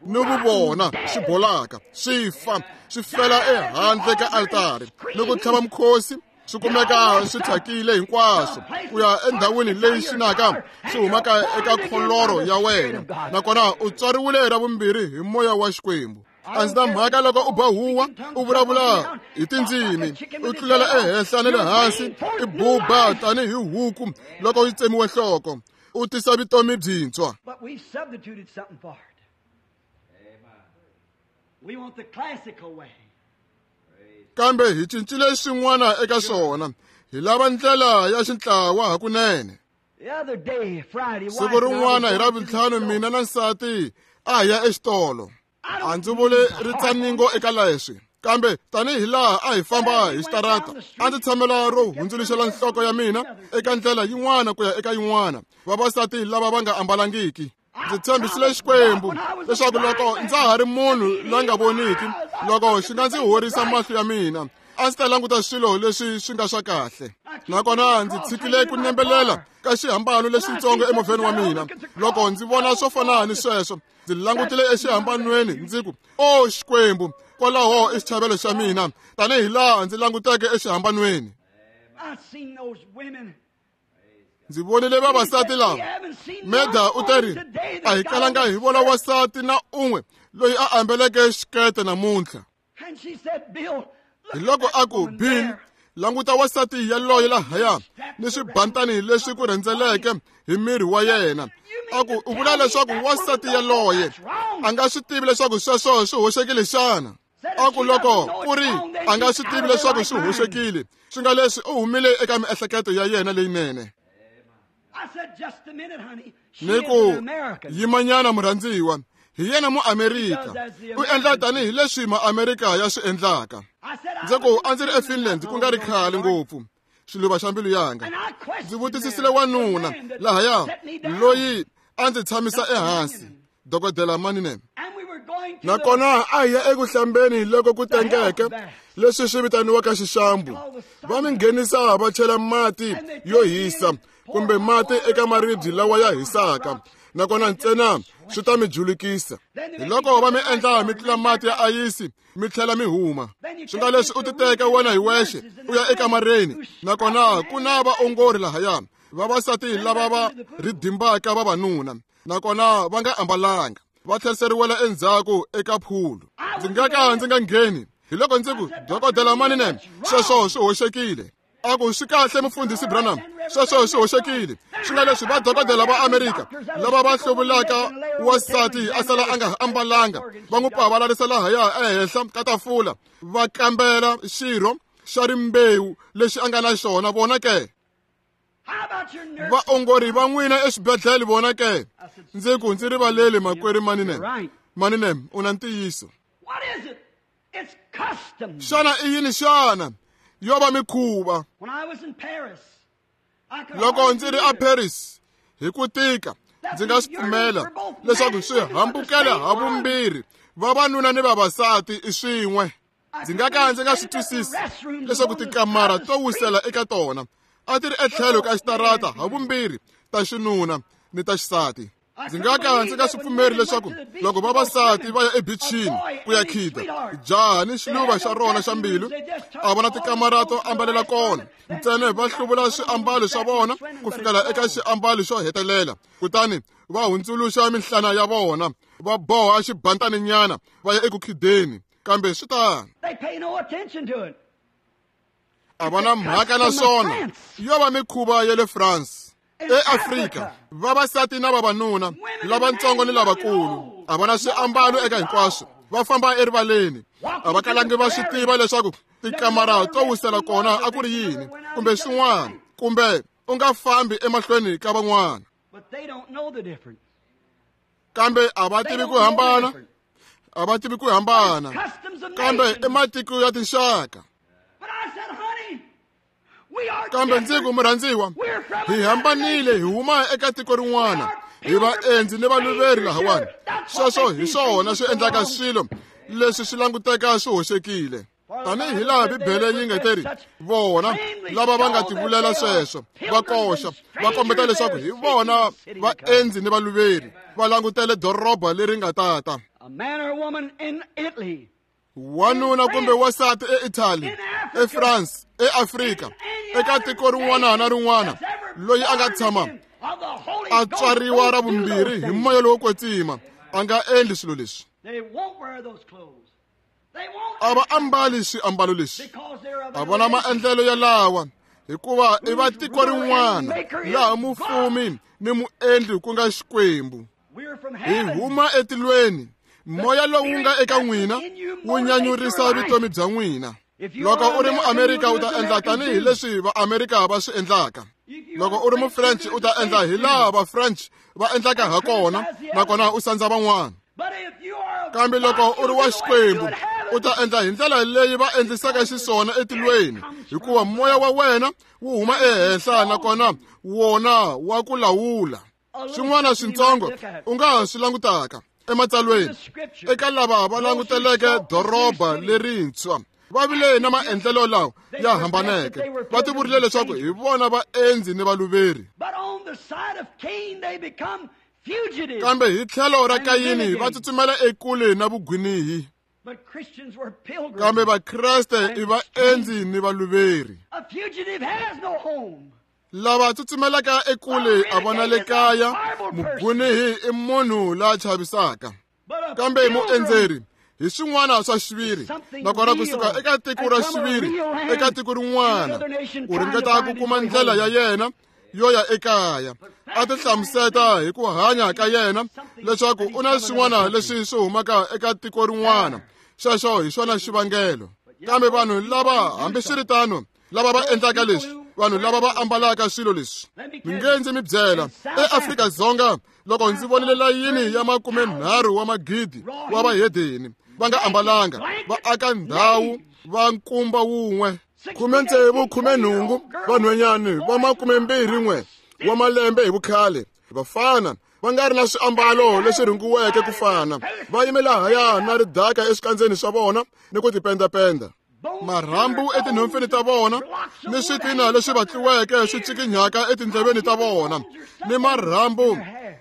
ni vuvona swi bolaka, swi fa, swi fela ehandle ka altari ni ku tlhava mukhosi, swi kumeka swi thyakile hinkwaswo ku ya endhawini leyi xinaka swi humaka eka kholoro ya wena. Nakona u tswariwile ra vumbirhi hi moya wa Xikwembu. A ndzi na mhaka loko u ba huwa, u vulavula hi tindzimi, u tlulela ehenhla ni le hansi, i buba tanihi huku loko yi tsemiwe nhloko, u tisa vutomi byintshwa. Kambe hi cincile xin'wana eka swona, hi lava ndlela ya xintlawa hakunene. Siku rin'wana hi Ravuntlhanu mina na nsati a hi ya exitolo. A ndzi vuli ritsaningo eka leswi, kambe tanihi laha a hi famba hi xitarata, a ndzi tshamela ro hundzuluxela nhloko ya mina eka ndlela yin'wana ku ya eka yin'wana, vavasati lava va nga ambalangiki. Ndzi tshembisile Xikwembu leswaku loko ndza ha ri munhu la nga voniki, loko xi nga ndzi horisa mahlo ya mina, a ndzi ta languta swilo leswi swi nga swa kahle. Nakona ndzi tshikile ku nembelela ka xihambano lexitsongo emovheni wa mina. Loko ndzi vona swo fana ni sweswo, ndzi langutile exihambanweni ndzi ku, o Xikwembu, kwalaho i xichavelo xa mina, tanihi laha ndzi languteke exihambanweni. Ndzi vonile vavasati lava. Meda u teri, a hi kalanga hi vona wasati na un'we loyi a ambeleke xikete namuntlha. Hi loko a ku, Bill, languta wasati yaloye lahaya ni swibantani leswi ku rhendzeleke hi miri wa yena. A ku, u vula leswaku wasati yaloye a nga swi tivi leswaku sweswo swi hoxekile xana? A ku loko ku ri a nga swi tivi leswaku swi hoxekile, swi nga leswi u humile eka miehleketo ya yena leyinene. Ni ku yimanyana murhandziwa, hi yena muamerika, u endla tanihi leswi maamerika ya swi endlaka. Ndzi ku a ndzi ri eFinland ku nga ri khale ngopfu, xiluva xa mbilu yanga. Ndzi vutisisile wanuna lahaya loyi a ndzi tshamisa ehansi, dokodela Maninem. Nakona a hi ya eku hlambeni loko ku tengeke leswi swi vitaniwaka xixambu. Va mi nghenisa va chela mati yo hisa kumbe mati eka maribye lawa ya hisaka, nakona ntsena swi ta mi julukisa. Hi loko va mi endla mi tlula mati ya ayisi mi tlhela mi huma. Swi nga leswi u titeka wena hi wexe u ya ekamareni, nakona ku na vaongori lahaya, vavasati lava va ridimbaka vavanuna, nakona va nga ambalanga, va tlheriseriwela endzhaku eka phulu. Ndzi nga ka ndzi nga ngheni. Hi loko ndzi ku, dokodela Maninem, sweswo swi hoxekile. A ku, swi kahle mufundhisi Branham, sweswo swi hoxekile. Swi nga leswi vadokodela va Amerika lava va hluvulaka wasati a sala a nga ambalanga, va n'wi pavalarisa lahaya ehenhla ka tafula, va kambela xirho xa rimbewu lexi a nga na xona vona ke. Vaongori va n'wina exibedhlele vona ke. Ndzi ku, ndzi rivaleli makwerhu Maninem. Maninem, u na ntiyiso. Xana i yini xana? Yo va mikhuva. Loko ndzi ri a Paris hi ku tika, ndzi nga swi pfumela leswaku swi hambukela ha vumbirhi vavanuna ni vavasati i swin'we. Ndzi nga ka ndzi nga swi twisisi leswaku tikamara to wisela eka tona a ti ri etlhelo ka xitarata ha vumbirhi ta xinuna ni ta xisati. Ndzi nga ka ndzi nga swi pfumeri leswaku loko vavasati va ya ebichini ku ya khida, jaha ni xiluva xa rona xa mbilu a vona tikamara to ambalela kona, ntsena va hluvula swiambalo swa vona ku fikela eka xiambalo xo hetelela, kutani Va hundzuluxa minhlana ya vona, va boha xibantaninyana va ya eku khideni, kambe swi tano. They pay no attention to it. A va na mhaka na swona. Yo va mikhuva ya le France. EAfrika, vavasati na vavanuna, lavatsongo ni lavakulu, a va na swiambalo eka hinkwaswo, va famba erivaleni. A va kalangi va swi tiva leswaku tikamara to wisela kona a ku ri yini, kumbe swin'wana, kumbe u nga fambi emahlweni ka van'wana. But they don't know the difference. Kambe a va tivi ku hambana, a va tivi ku hambana. Kambe i matiko ya tinxaka. But I said, honey, we are Kambe ndzi ku murhandziwa, hi hambanile, hi huma eka tiko rin'wana, hi vaendzi ni valuveri lahawani. Sweswo hi swona swi endlaka swilo leswi swi languteka swi hoxekile. Tanihi laha Bibele yi nga teri, vona lava va nga tivulela sweswo va koxa, va kombeta leswaku hi vona vaendzi ni valuveri, va langutele doroba leri nga tata. A man or a woman in Italy, Wanuna kumbe wansati eItaly, eFrance, eAfrika, eka tiko rin'wana na rin'wana, loyi a nga tshama a tswariwa ra vumbirhi hi moya lowo kwetsima, a nga endli swilo leswi. They won't wear those clothes. They won't A va ambali swiambalo leswi. because they're of A vona maendlelo yalawa, hikuva i va tiko rin'wana laha mufumi ni muendli ku nga Xikwembu. We're from Hi heaven. huma etilweni. Moya lowu nga eka n'wina wu nyanyurisa vutomi bya n'wina. Loko u ri muAmerika u ta endla tanihi leswi vaAmerika va swi endlaka. Loko u ri muFrench u ta endla hi laha vaFrench va endlaka ha kona, nakona u sandza van'wana. But if you are of Kambe loko God, u ri wa you'll do Xikwembu it in heaven. u ta endla hi ndlela leyi va endlisaka xiswona etilweni, hikuva moya wa wena wu huma ehenhla nakona wona wa ku lawula. Swin'wana swintsongo u nga ha swi langutaka ematsalweni eka lava va languteleke doroba lerintshwa, va vile na maendlelo lawa ya hambaneke. Va tivurile leswaku hi vona vaendzi ni valuveri. But on the side of Cain, they become fugitives. Kambe hi tlhelo ra Kayini va tsutsumela ekule na vugwinihi. But Christians were pilgrims. Kambe Vakreste i vaendzi ni valuveri. A fugitive has no home. Lava tsutsumelaka ekule a va na le kaya, mugwinihi i munhu la chavisaka. But a Kambe pilgrim muendzeri hi swin'wana swa xiviri, nakona kusuka eka tiko ra xiviri eka tiko rin'wana, u ringeta ku kuma ndlela ya yena yo ya ekaya. A ti hlamuseta hi ku hanya ka yena leswaku u na swin'wana leswi swi humaka eka tiko rin'wana. Xexo hi xona xivangelo. Kambe vanhu lava, hambiswiritano, lava va endlaka leswi, vanhu lava va ambalaka swilo leswi, mi nge ndzi mi byela, eAfrika-Dzonga loko ndzi vonile layini ya makumenharhu wa magidi wa vahedeni va nga ambalanga, va aka ndhawu va nkumba wun'we, khume ntsevu khume nhungu vanhwanyani va makumembirhi n'we wa malembe hi vukhale, vafana va nga ri na swiambalo leswi rhungiweke ku fana, va yime lahaya na ridaka eswikandzeni swa vona ni ku tipendapenda, marhambu etinhompfini ta vona, ni switina leswi vatliweke swi ncikinyaka etindleveni ta vona, ni marhambu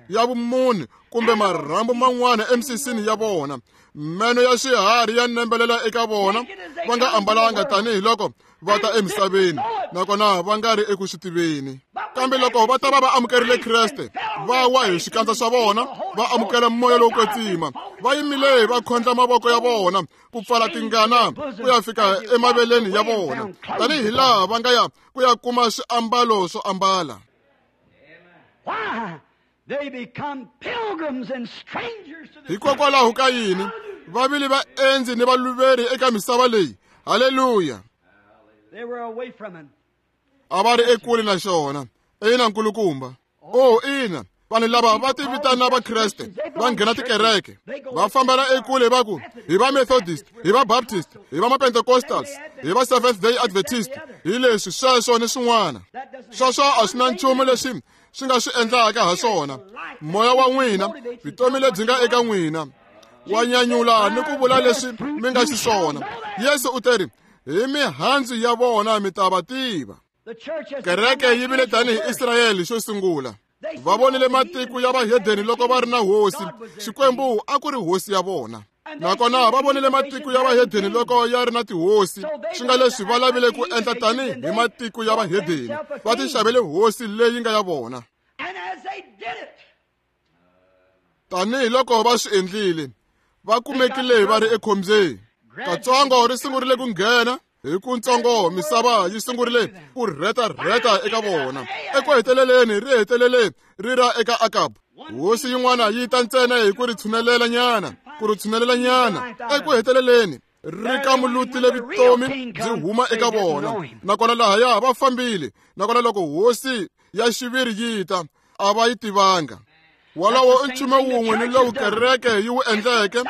ya vumunhu kumbe marhambu man'wana emisisini ya vona, meno ya swiharhi ya nembelela eka vona, va nga ambalanga tanihiloko va ta emisaveni, nakona va nga ri eku swi tiveni. Kambe loko va ta va va amukerile Kreste, va wa hi swikandza swa vona, va amukela moya lowo kwetsima, va yimile va khondla mavoko ya vona ku pfala tingana ku ya fika emaveleni ya vona, tanihi laha va nga ya ku ya kuma swiambalo swo ambala. Why? They become pilgrims and strangers to the Hikokwalaho ka yini va vile vaendzi ni valuveri eka misava leyi? Haleluya. They were away from it. A va ri ekule na xona. Ina nkulukumba. Oh, ina. Vanhu lava va ti vitana Vakreste, va nghena tikereke, va fambela ekule va ku hi va Methodist, hi va Baptist, hi va Pentecostals, hi va Seventh Day Adventist, hi leswi sweswo ni swin'wana. Sweswo a swi na nchumu leswi swi nga swi endlaka ha swona. Moya wa n'wina, vutomi lebyi nga eka n'wina, wa nyanyula ni ku vula leswi mi nga xiswona. Yesu u teri, hi mihandzu ya vona mi ta va tiva. Kereke yi vile tanihi Israyele xo sungula. Va vonile matiko ya vahedeni loko va ri na hosi. Xikwembu a ku ri hosi ya vona. Nakona va vonile matiko ya vahedeni loko ya ri na tihosi, swi nga leswi va lavile ku endla tanihi hi matiko ya vahedeni, va ti xavele hosi leyi nga ya vona. And as they did it, Tanihi loko va swi endlile, va kumekile va ri ekhombyeni. Katsongo ri sungurile ku nghena hi ku ntsongo misava yi sungurile ku rheta-rheta eka vona. Eku heteleleni ri hetelele ri ra eka Akabu. Hosi yin'wana yi ta ntsena hi ku ri tshunelela nyana, ku ri tshunelela nyana. Eku heteleleni ri kamulutile vutomi byi huma eka vona. Nakona lahaya va fambile. Nakona loko hosi ya xiviri yi ta, a va yi tivanga. Wolowo i nchumu wun'we ni lowu kereke yi wu endleke,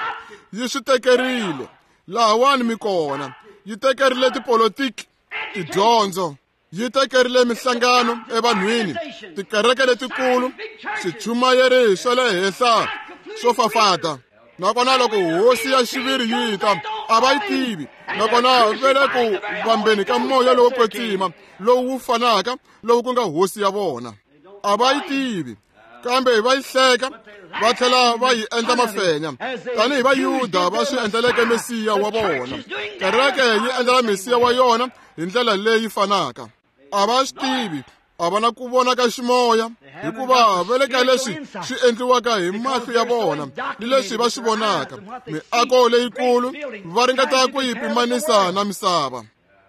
yi swi tekerile. Lahawani mi kona. Yi tekerile tipolotiki, tidyondzo, yi tekerile minhlangano evanhwini, tikereke letikulu, swichumayeri swa le henhla swo fafata. Nakona loko hosi ya xiviri yi ta, a va yi tivi. Nakona va le ku vambeni ka moya lowo kwetsima lowu wu fanaka lowu ku nga hosi ya vona. A va yi tivi, kambe va yi hleka, va tlhela va yi endla mafenya tanihi Vayuda va swi endleleke Mesiya wa vona. Kereke yi endlela Mesiya wa yona hi ndlela leyi fanaka. A va swi tivi, a va na ku vona ka ximoya, hikuva va le ka leswi swi endliwaka hi mahlo ya vona ni leswi va swi vonaka. Miako leyikulu va ringeta ku yi pimanisa na misava.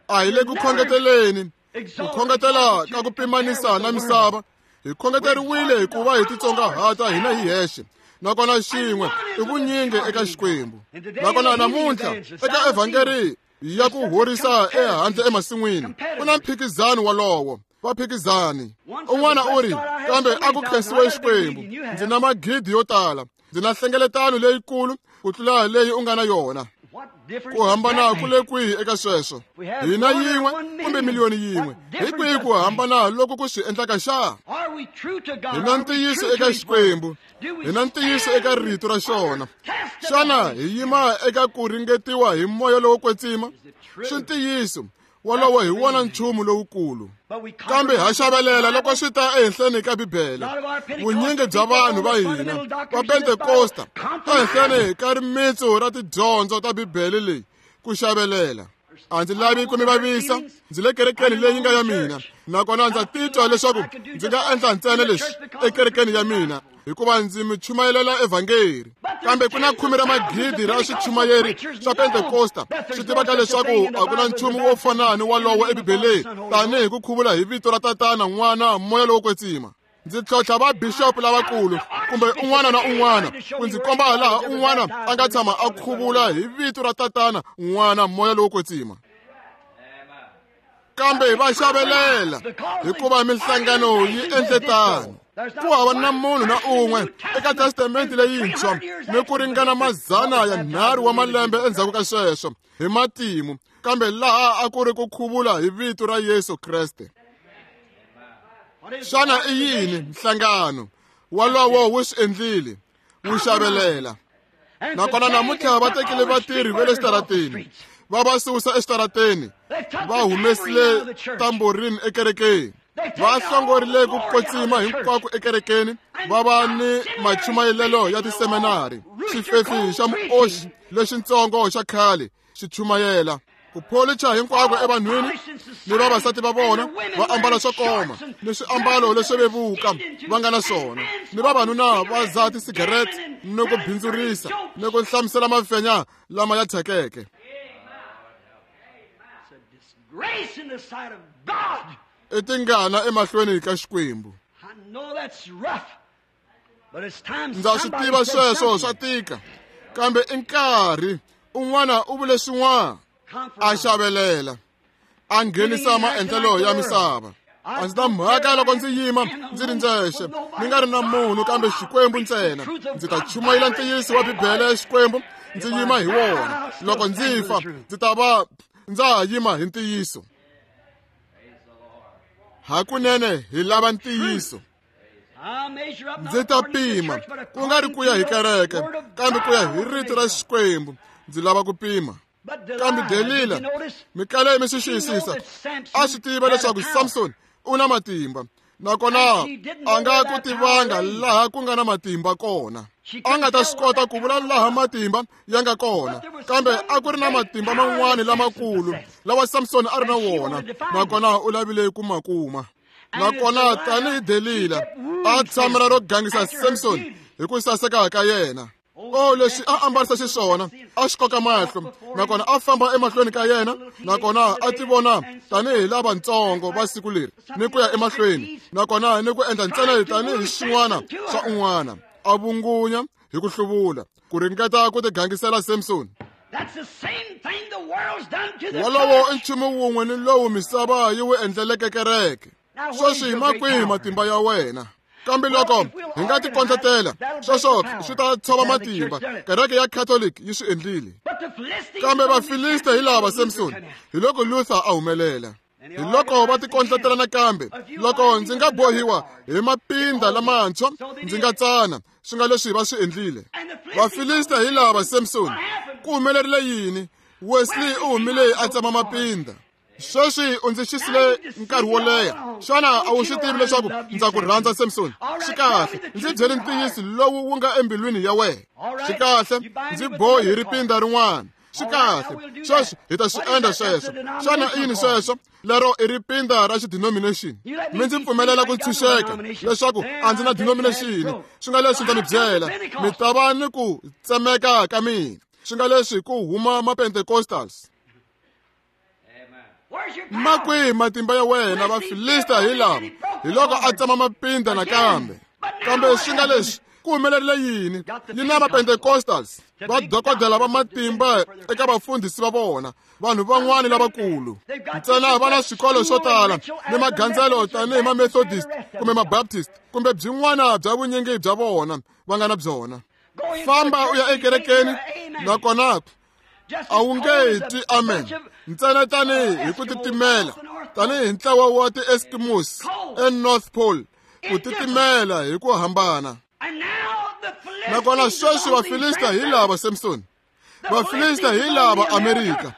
A hi le ku khongeteleni, ku khongetela ka ku pimanisa na misava. Hi khongeteriwile hikuva hi titsongahata hina hi hexe, nakona xin'we i vunyingi eka Xikwembu. Nakona namuntlha eka evhangeri ya ku horisa ehandle emasin'wini ku na mphikizano wolowo. Va phikizani. Un'wana u ri, kambe a ku khensiwe Xikwembu, ndzi na magidi yo tala, ndzi na nhlengeletano leyikulu ku tlula leyi u nga na yona. Ku hambana ku le kwihi eka sweswo? Hina yin'we kumbe miliyoni yin'we, hi kwihi ku hambana loko ku swi endlaka xa? Hi na ntiyiso eka Xikwembu, hi na ntiyiso eka rito ra xona. Xana hi yima eka ku ringetiwa hi moya lowo kwetsima? Swi ntiyiso wolowo hi wona nchumu lowukulu. Kambe ha xavelela loko swi ta ehenhleni ka Bibele. Vunyingi bya vanhu va hina va Pentekosta ehenhleni ka rimitsu ra tidyondzo ta Bibele leyi ku xavelela. A ndzi lavi ku mi vavisa, ndzi le kerekeni leyi nga ya mina, nakona ndza titwa leswaku ndzi nga endla ntsena leswi ekerekeni ya mina hikuva ndzi mi chumayelela evhangeri. Kambe ku na khume ra magidi ra swichumayeri swa Pentekosta swi tivaka leswaku a ku na nchumu wo fana ni wolowo eBibeleni tanihi ku khuvula hi vito ra Tatana, N'wana, Moya lowo Kwetsima. Ndzi tlhontlha va bishop lavakulu kumbe un'wana na un'wana ku ndzi komba laha un'wana a nga tshama a khuvula hi vito ra Tatana, N'wana, Moya lowo Kwetsima. Kambe va xavelela hikuva minhlangano yi endle tano. Ku hava na munhu na un'we eka testamente leyintshwa ni ku ringana mazana ya nharhu wa malembe endzhaku ka sweswo hi matimu, kambe laha a ku ri ku khuvula hi vito ra Yesu Kreste. Xana i yini nhlangano wolowo wu swi endlile? Wu xavelela. Nakona namuntlha va tekile vatirhi va le xitarateni, va va susa exitarateni, va humesile tamborini ekerekeni, va hlongorile ku kwetsima hinkwako ekerekeni, va va ni machumayelelo ya tiseminari, xifefi xa muoxi lexintsongo xa khale xi chumayela ku pholicha hinkwako evanhwini ni vavasati va vona va ambala swo koma ni swiambalo leswo vevuka va nga na swona, ni vavanuna va dzaha tisigarete ni ku bindzurisa ni ku hlamusela mafenya lama ya thyakeke. I tingana emahlweni ka Xikwembu. Ndza swi tiva sweswo swa tika, kambe i nkarhi un'wana u vule swin'wana. A xavelela, a nghenisa maendlelo ya misava. A ndzi na mhaka loko ndzi yima ndzi ri ndzexe, ni nga ri na munhu kambe Xikwembu ntsena. Ndzi ta chumayela ntiyiso wa Bibele ya Xikwembu, ndzi yima hi wona. Loko ndzi fa, ndzi ta va ndza ha yima hi ntiyiso. Hakunene hi lava ntiyiso. Ndzi ta pima, ku nga ri ku ya hi kereke, kambe ku ya hi rito ra Xikwembu. Ndzi lava ku pima. Kambe Delila, mikale mi swi xiyisisa, a swi tiva leswaku Samson u na matimba, nakona a nga ku tivanga laha ku nga na matimba kona. A nga ta swi kota ku vula laha matimba ya nga kona, kambe a ku ri na matimba man'wani lamakulu lawa Samson a ri na wona, nakona u lavile ku ma kuma. Nakona tanihi Delila a tshamela ro gangisa Samson hi ku saseka ka yena. O leswi a ambarisa xiswona a xi koka mahlo, nakona a famba emahlweni ka yena, nakona a ti vona tanihi lavatsongo va siku leri ni ku ya emahlweni, nakona ni ku endla ntsena tanihi xin'wana swa un'wana, a vungunya hi ku hluvula ku ringeta ku tigangisela Samson. Wolowo i nchumu wun'we ni lowu misava yi wu endleleke kereke. Sweswi ma kwihi matimba ya wena? Kambe loko hi nga tikondletela, sweswo swi ta tshova matimba. Kereke ya Catholic yi swi endlile. Kambe Vafilista hi lava Samson, hi loko Luther a humelela. Hi loko va tikondletela nakambe, loko ndzi nga bohiwa hi mapinda lamantshwa, ndzi nga tsana, swi nga leswi va swi endlile. Vafilista hi lava Samson. Ku humelerile yini? Wesley u humile a tsema mapinda. Sweswi u ndzi xisile nkarhi wo leha. Xana a wu swi tivi leswaku ndza ku rhandza Samson? Swi kahle, ndzi byele ntiyiso lowu wu nga embilwini ya wena. Swi kahle, ndzi bohi hi ripinda rin'wana. Swi kahle, sweswi hi ta swi endla sweswo. Xana i yini sweswo? Lero i ripinda ra xidenomination. Mi ndzi pfumelela ku ntshunxeka leswaku a ndzi na denomination. Swi nga leswi ndza mi byela, mi ta va ni ku tsemeka ka mina. Swi nga leswi ku huma ma-Pentecostals. Ma kwihi matimba ya wena? Vafilista hi lava. Hi loko a tsema mapinda nakambe. Kambe swi nga leswi ku humelerile yini? Yi na ma-Pentecostals, va dokodela va matimba eka vafundhisi va vona, vanhu van'wani lavakulu. Ntsena va na swikolo swo tala ni magandzelo tanihi ma-Methodist kumbe ma-Baptist kumbe byin'wana bya vunyingi bya vona va nga na byona. Famba u ya ekerekeni, nakona a wu nge twi amen. Ntsena tanihi hi ku titimela, tanihi ntlawa wa ti-Eskimos eNorth Pole, ku titimela hi ku hambana. Nakona sweswi Vafilista hi lava Samson. Vafilista hi lava Amerika.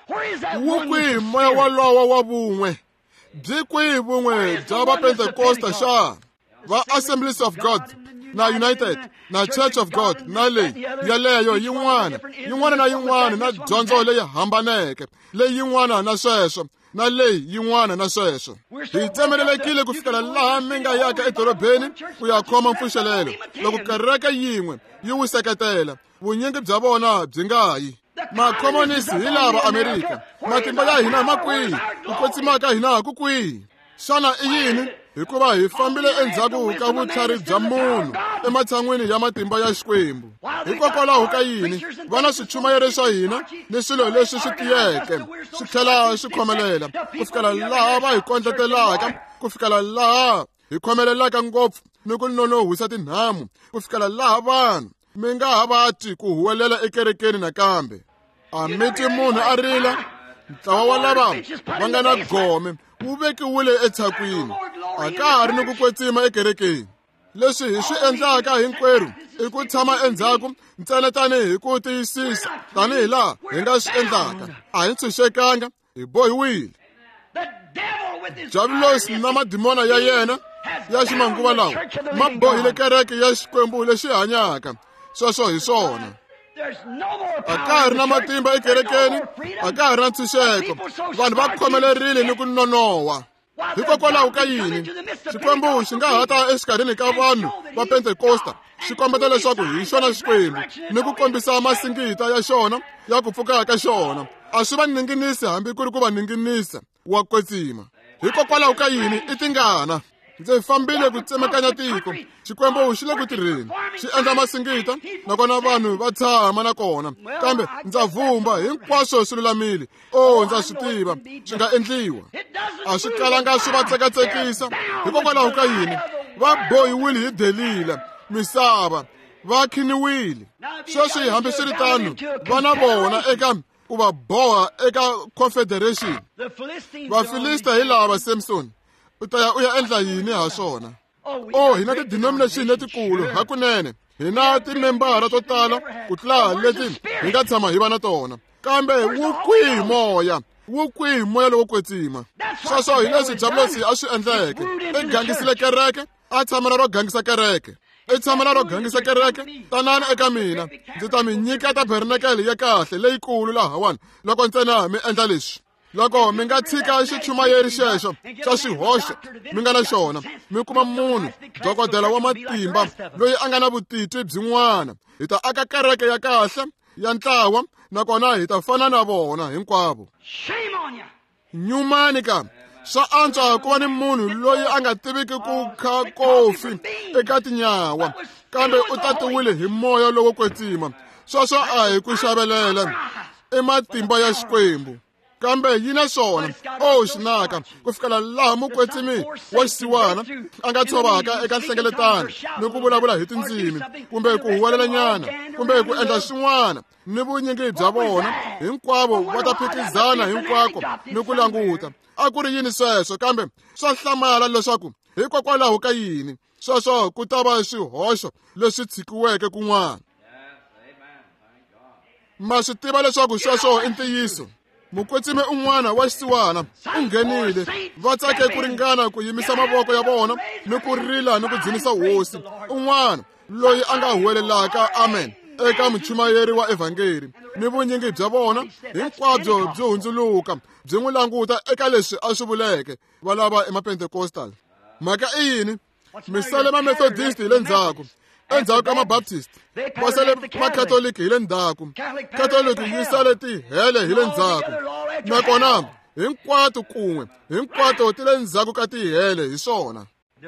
Wu kwihi moya walowo wa vun'we? Byi kwihi vun'we bya Vapentekosta xa? Va Assemblies of God na United na Church of God na leyi yaleyo yin'wana, yin'wana na yin'wana na dyondzo leyi hambaneke, leyi yin'wana na sweswo, na leyi yin'wana na sweswo. Hi tsemelelekile ku fikela laha mi nga yaka edorobeni ku ya khoma mpfuxelelo. Loko kereke yin'we yi wu seketela, vunyingi bya vona byi nga yi. Makhomonisi hi lava Amerika. Matimba ya hina ma kwihi? Ku kwetsima ka hina ku kwihi? Xana i yini? Hikuva hi fambile endzhaku ka vutlhari bya munhu ematshan'wini ya matimba ya Xikwembu. Hikokwalaho ka yini? Va na swichumayelo swa hina ni swilo leswi swi tiyeke swi tlhela swi khomelela ku fikela laha va hi kondletelaka, ku fikela laha hi khomelelaka ngopfu ni ku nonohisa tinhamu, ku fikela laha vanhu mi nga ha va twi ku huwelela ekerekeni nakambe. A mi twi munhu a rila. Ntlawa wa lava va nga na gome wu vekiwile etshakwini. A ka ha ri ni ku kwetsima ekerekeni. Leswi hi swi endlaka hinkwerhu i ku tshama endzhaku ntsena tanihi hi ku tiyisisa tanihi laha hi nga swi endlaka. A hi ntshunxekanga, hi bohiwile. Diabulosi na madimona ya yena ya ximanguva lawa ma bohile kereke ya Xikwembu lexi hanyaka. Sweswo hi swona. A ka ha ri na matimba ekerekeni, a ka ha ri na ntshunxeko. Vanhu va khomelerile ni ku nonoha. Hikokwalaho ka yini? Xikwembu xi nga ha ta exikarhini ka vanhu va Pentekosta, xi kombeta leswaku hi xona Xikwembu ni ku kombisa masingita ya xona ya ku pfuka ka xona. A swi va ninginisi hambi ku ri ku va ninginisa wa kwetsima. Hikokwalaho ka yini? I tingana. Ndzi fambile ku tsemakanya tiko. Xikwembu xi le ku tirheni, xi endla masingita, nakona vanhu va tshama nakona. Kambe ndza vumba hinkwaswo swi lulamile. O, ndza swi tiva swi nga endliwa. A swi kalanga swi va tsekatsekisa. Hikokwalaho ka yini? Va bohiwile hi Delila, misava va khiniwile. Sweswi hambiswiritano va na vona eka ku va boha eka Confederation. Vafilista hi lava Samson. U ta ya u ya endla yini ha swona? O, hina ti-denomination letikulu hakunene. Hina timembara to tala ku tlula leti hi nga tshama hi va na tona. Kambe wu kwihi moya? Wu kwihi moya lowo kwetsima? Sweswo hi leswi Diabulosi a swi endleke. I gangisile kereke, a tshamela ro gangisa kereke. I tshamela ro gangisa kereke. Tanani eka mina, ndzi ta mi nyika tabernakele ya kahle leyikulu lahawani loko ntsena mi endla leswi. Loko mi nga tshika xichumayeri xexo xa xihoxo mi nga na xona, mi kuma munhu dokodela wa matimba loyi a nga na vutitwi byin'wana, hi ta aka kereke ya kahle ya ntlawa, nakona hi ta fana na vona hinkwavo. Nyumani ka swa antswa ku va ni munhu loyi a nga tiviki ku kha kofi eka tinyawa, kambe u tatiwile hi moya lowo kwetsima. Sweswo a hi ku xavelela, i matimba ya Xikwembu. Kambe yi na swona, o xinaka ku fikela laha mukwetsimi wa xisiwana a nga tshovaka eka nhlengeletano ni ku vulavula hi tindzimi, kumbe ku huwelelanyana, kumbe ku endla swin'wana, ni vunyingi bya vona hinkwavo va ta phikizana hinkwako ni ku languta. A ku ri yini sweswo? Kambe swa hlamala leswaku hikokwalaho ka yini sweswo ku ta va swihoxo leswi tshikiweke kun'wana. Ma swi tiva leswaku sweswo i ntiyiso. Mukwetsimi un'wana wa xisiwana u nghenile, va tsake ku ringana ku yimisa mavoko ya vona ni ku rila ni ku dzunisa hosi. Un'wana loyi a nga huwelelaka amen eka muchumayeri wa evhangeli, ni vunyingi bya vona hinkwabyo byi hundzuluka byi n'wi languta eka leswi a swi vuleke va lava emapentekostal. Mhaka i yini? Mi sale mamethodist hi le ndzhaku, endzhaku ka mabaptist, va sale makatoliki hi le ndzhaku, katoliki yi sale tihele hi le ndzhaku, nakona hinkwato kun'we hinkwato ti le ndzhaku ka tihele hi swona.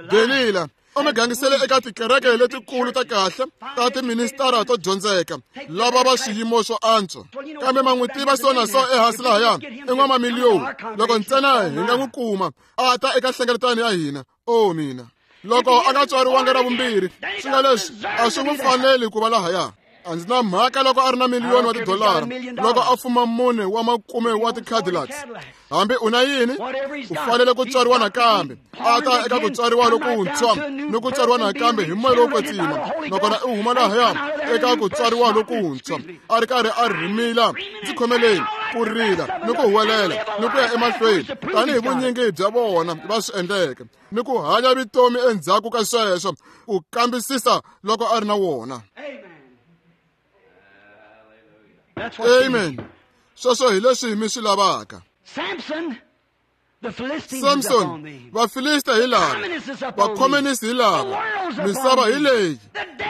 Delila u mi gangisele eka tikereke letikulu ta kahle ta tiministara to dyondzeka lava va swiyimo swo antswa, kambe ma n'wi tiva so na so ehansi lahaya i n'wamamiliyoni. Loko ntsena hi nga n'wi kuma a ta eka nhlengeletano ya hina, o mina loko a nga tswariwanga ra vumbirhi, swi nga leswi a swi n'wi faneli ku va lahaya. A ndzi na mhaka loko a ri na miliyoni wa tidolara, loko a fuma mune wa makume wa ti-Cadillacs, hambi u na yini, u fanele ku tswariwa nakambe, a ta eka ku tswariwa lokuntshwa ni ku tswariwa nakambe hi moya lowo kwetsima, nakona u huma lahaya eka ku tswariwa lokuntshwa a ri karhi a rhimila, ndzi khomeleni, ku rila ni ku huwelela ni ku ya emahlweni tanihi vunyingi bya vona va swi endleke, ni ku hanya vutomi endzhaku ka sweswo ku kambisisa loko a ri na wona. Amen. Sweswo hi leswi mi swi lavaka. Samson, Vafilista hi lava, vakhomunisi hi lava, misava hi leyi,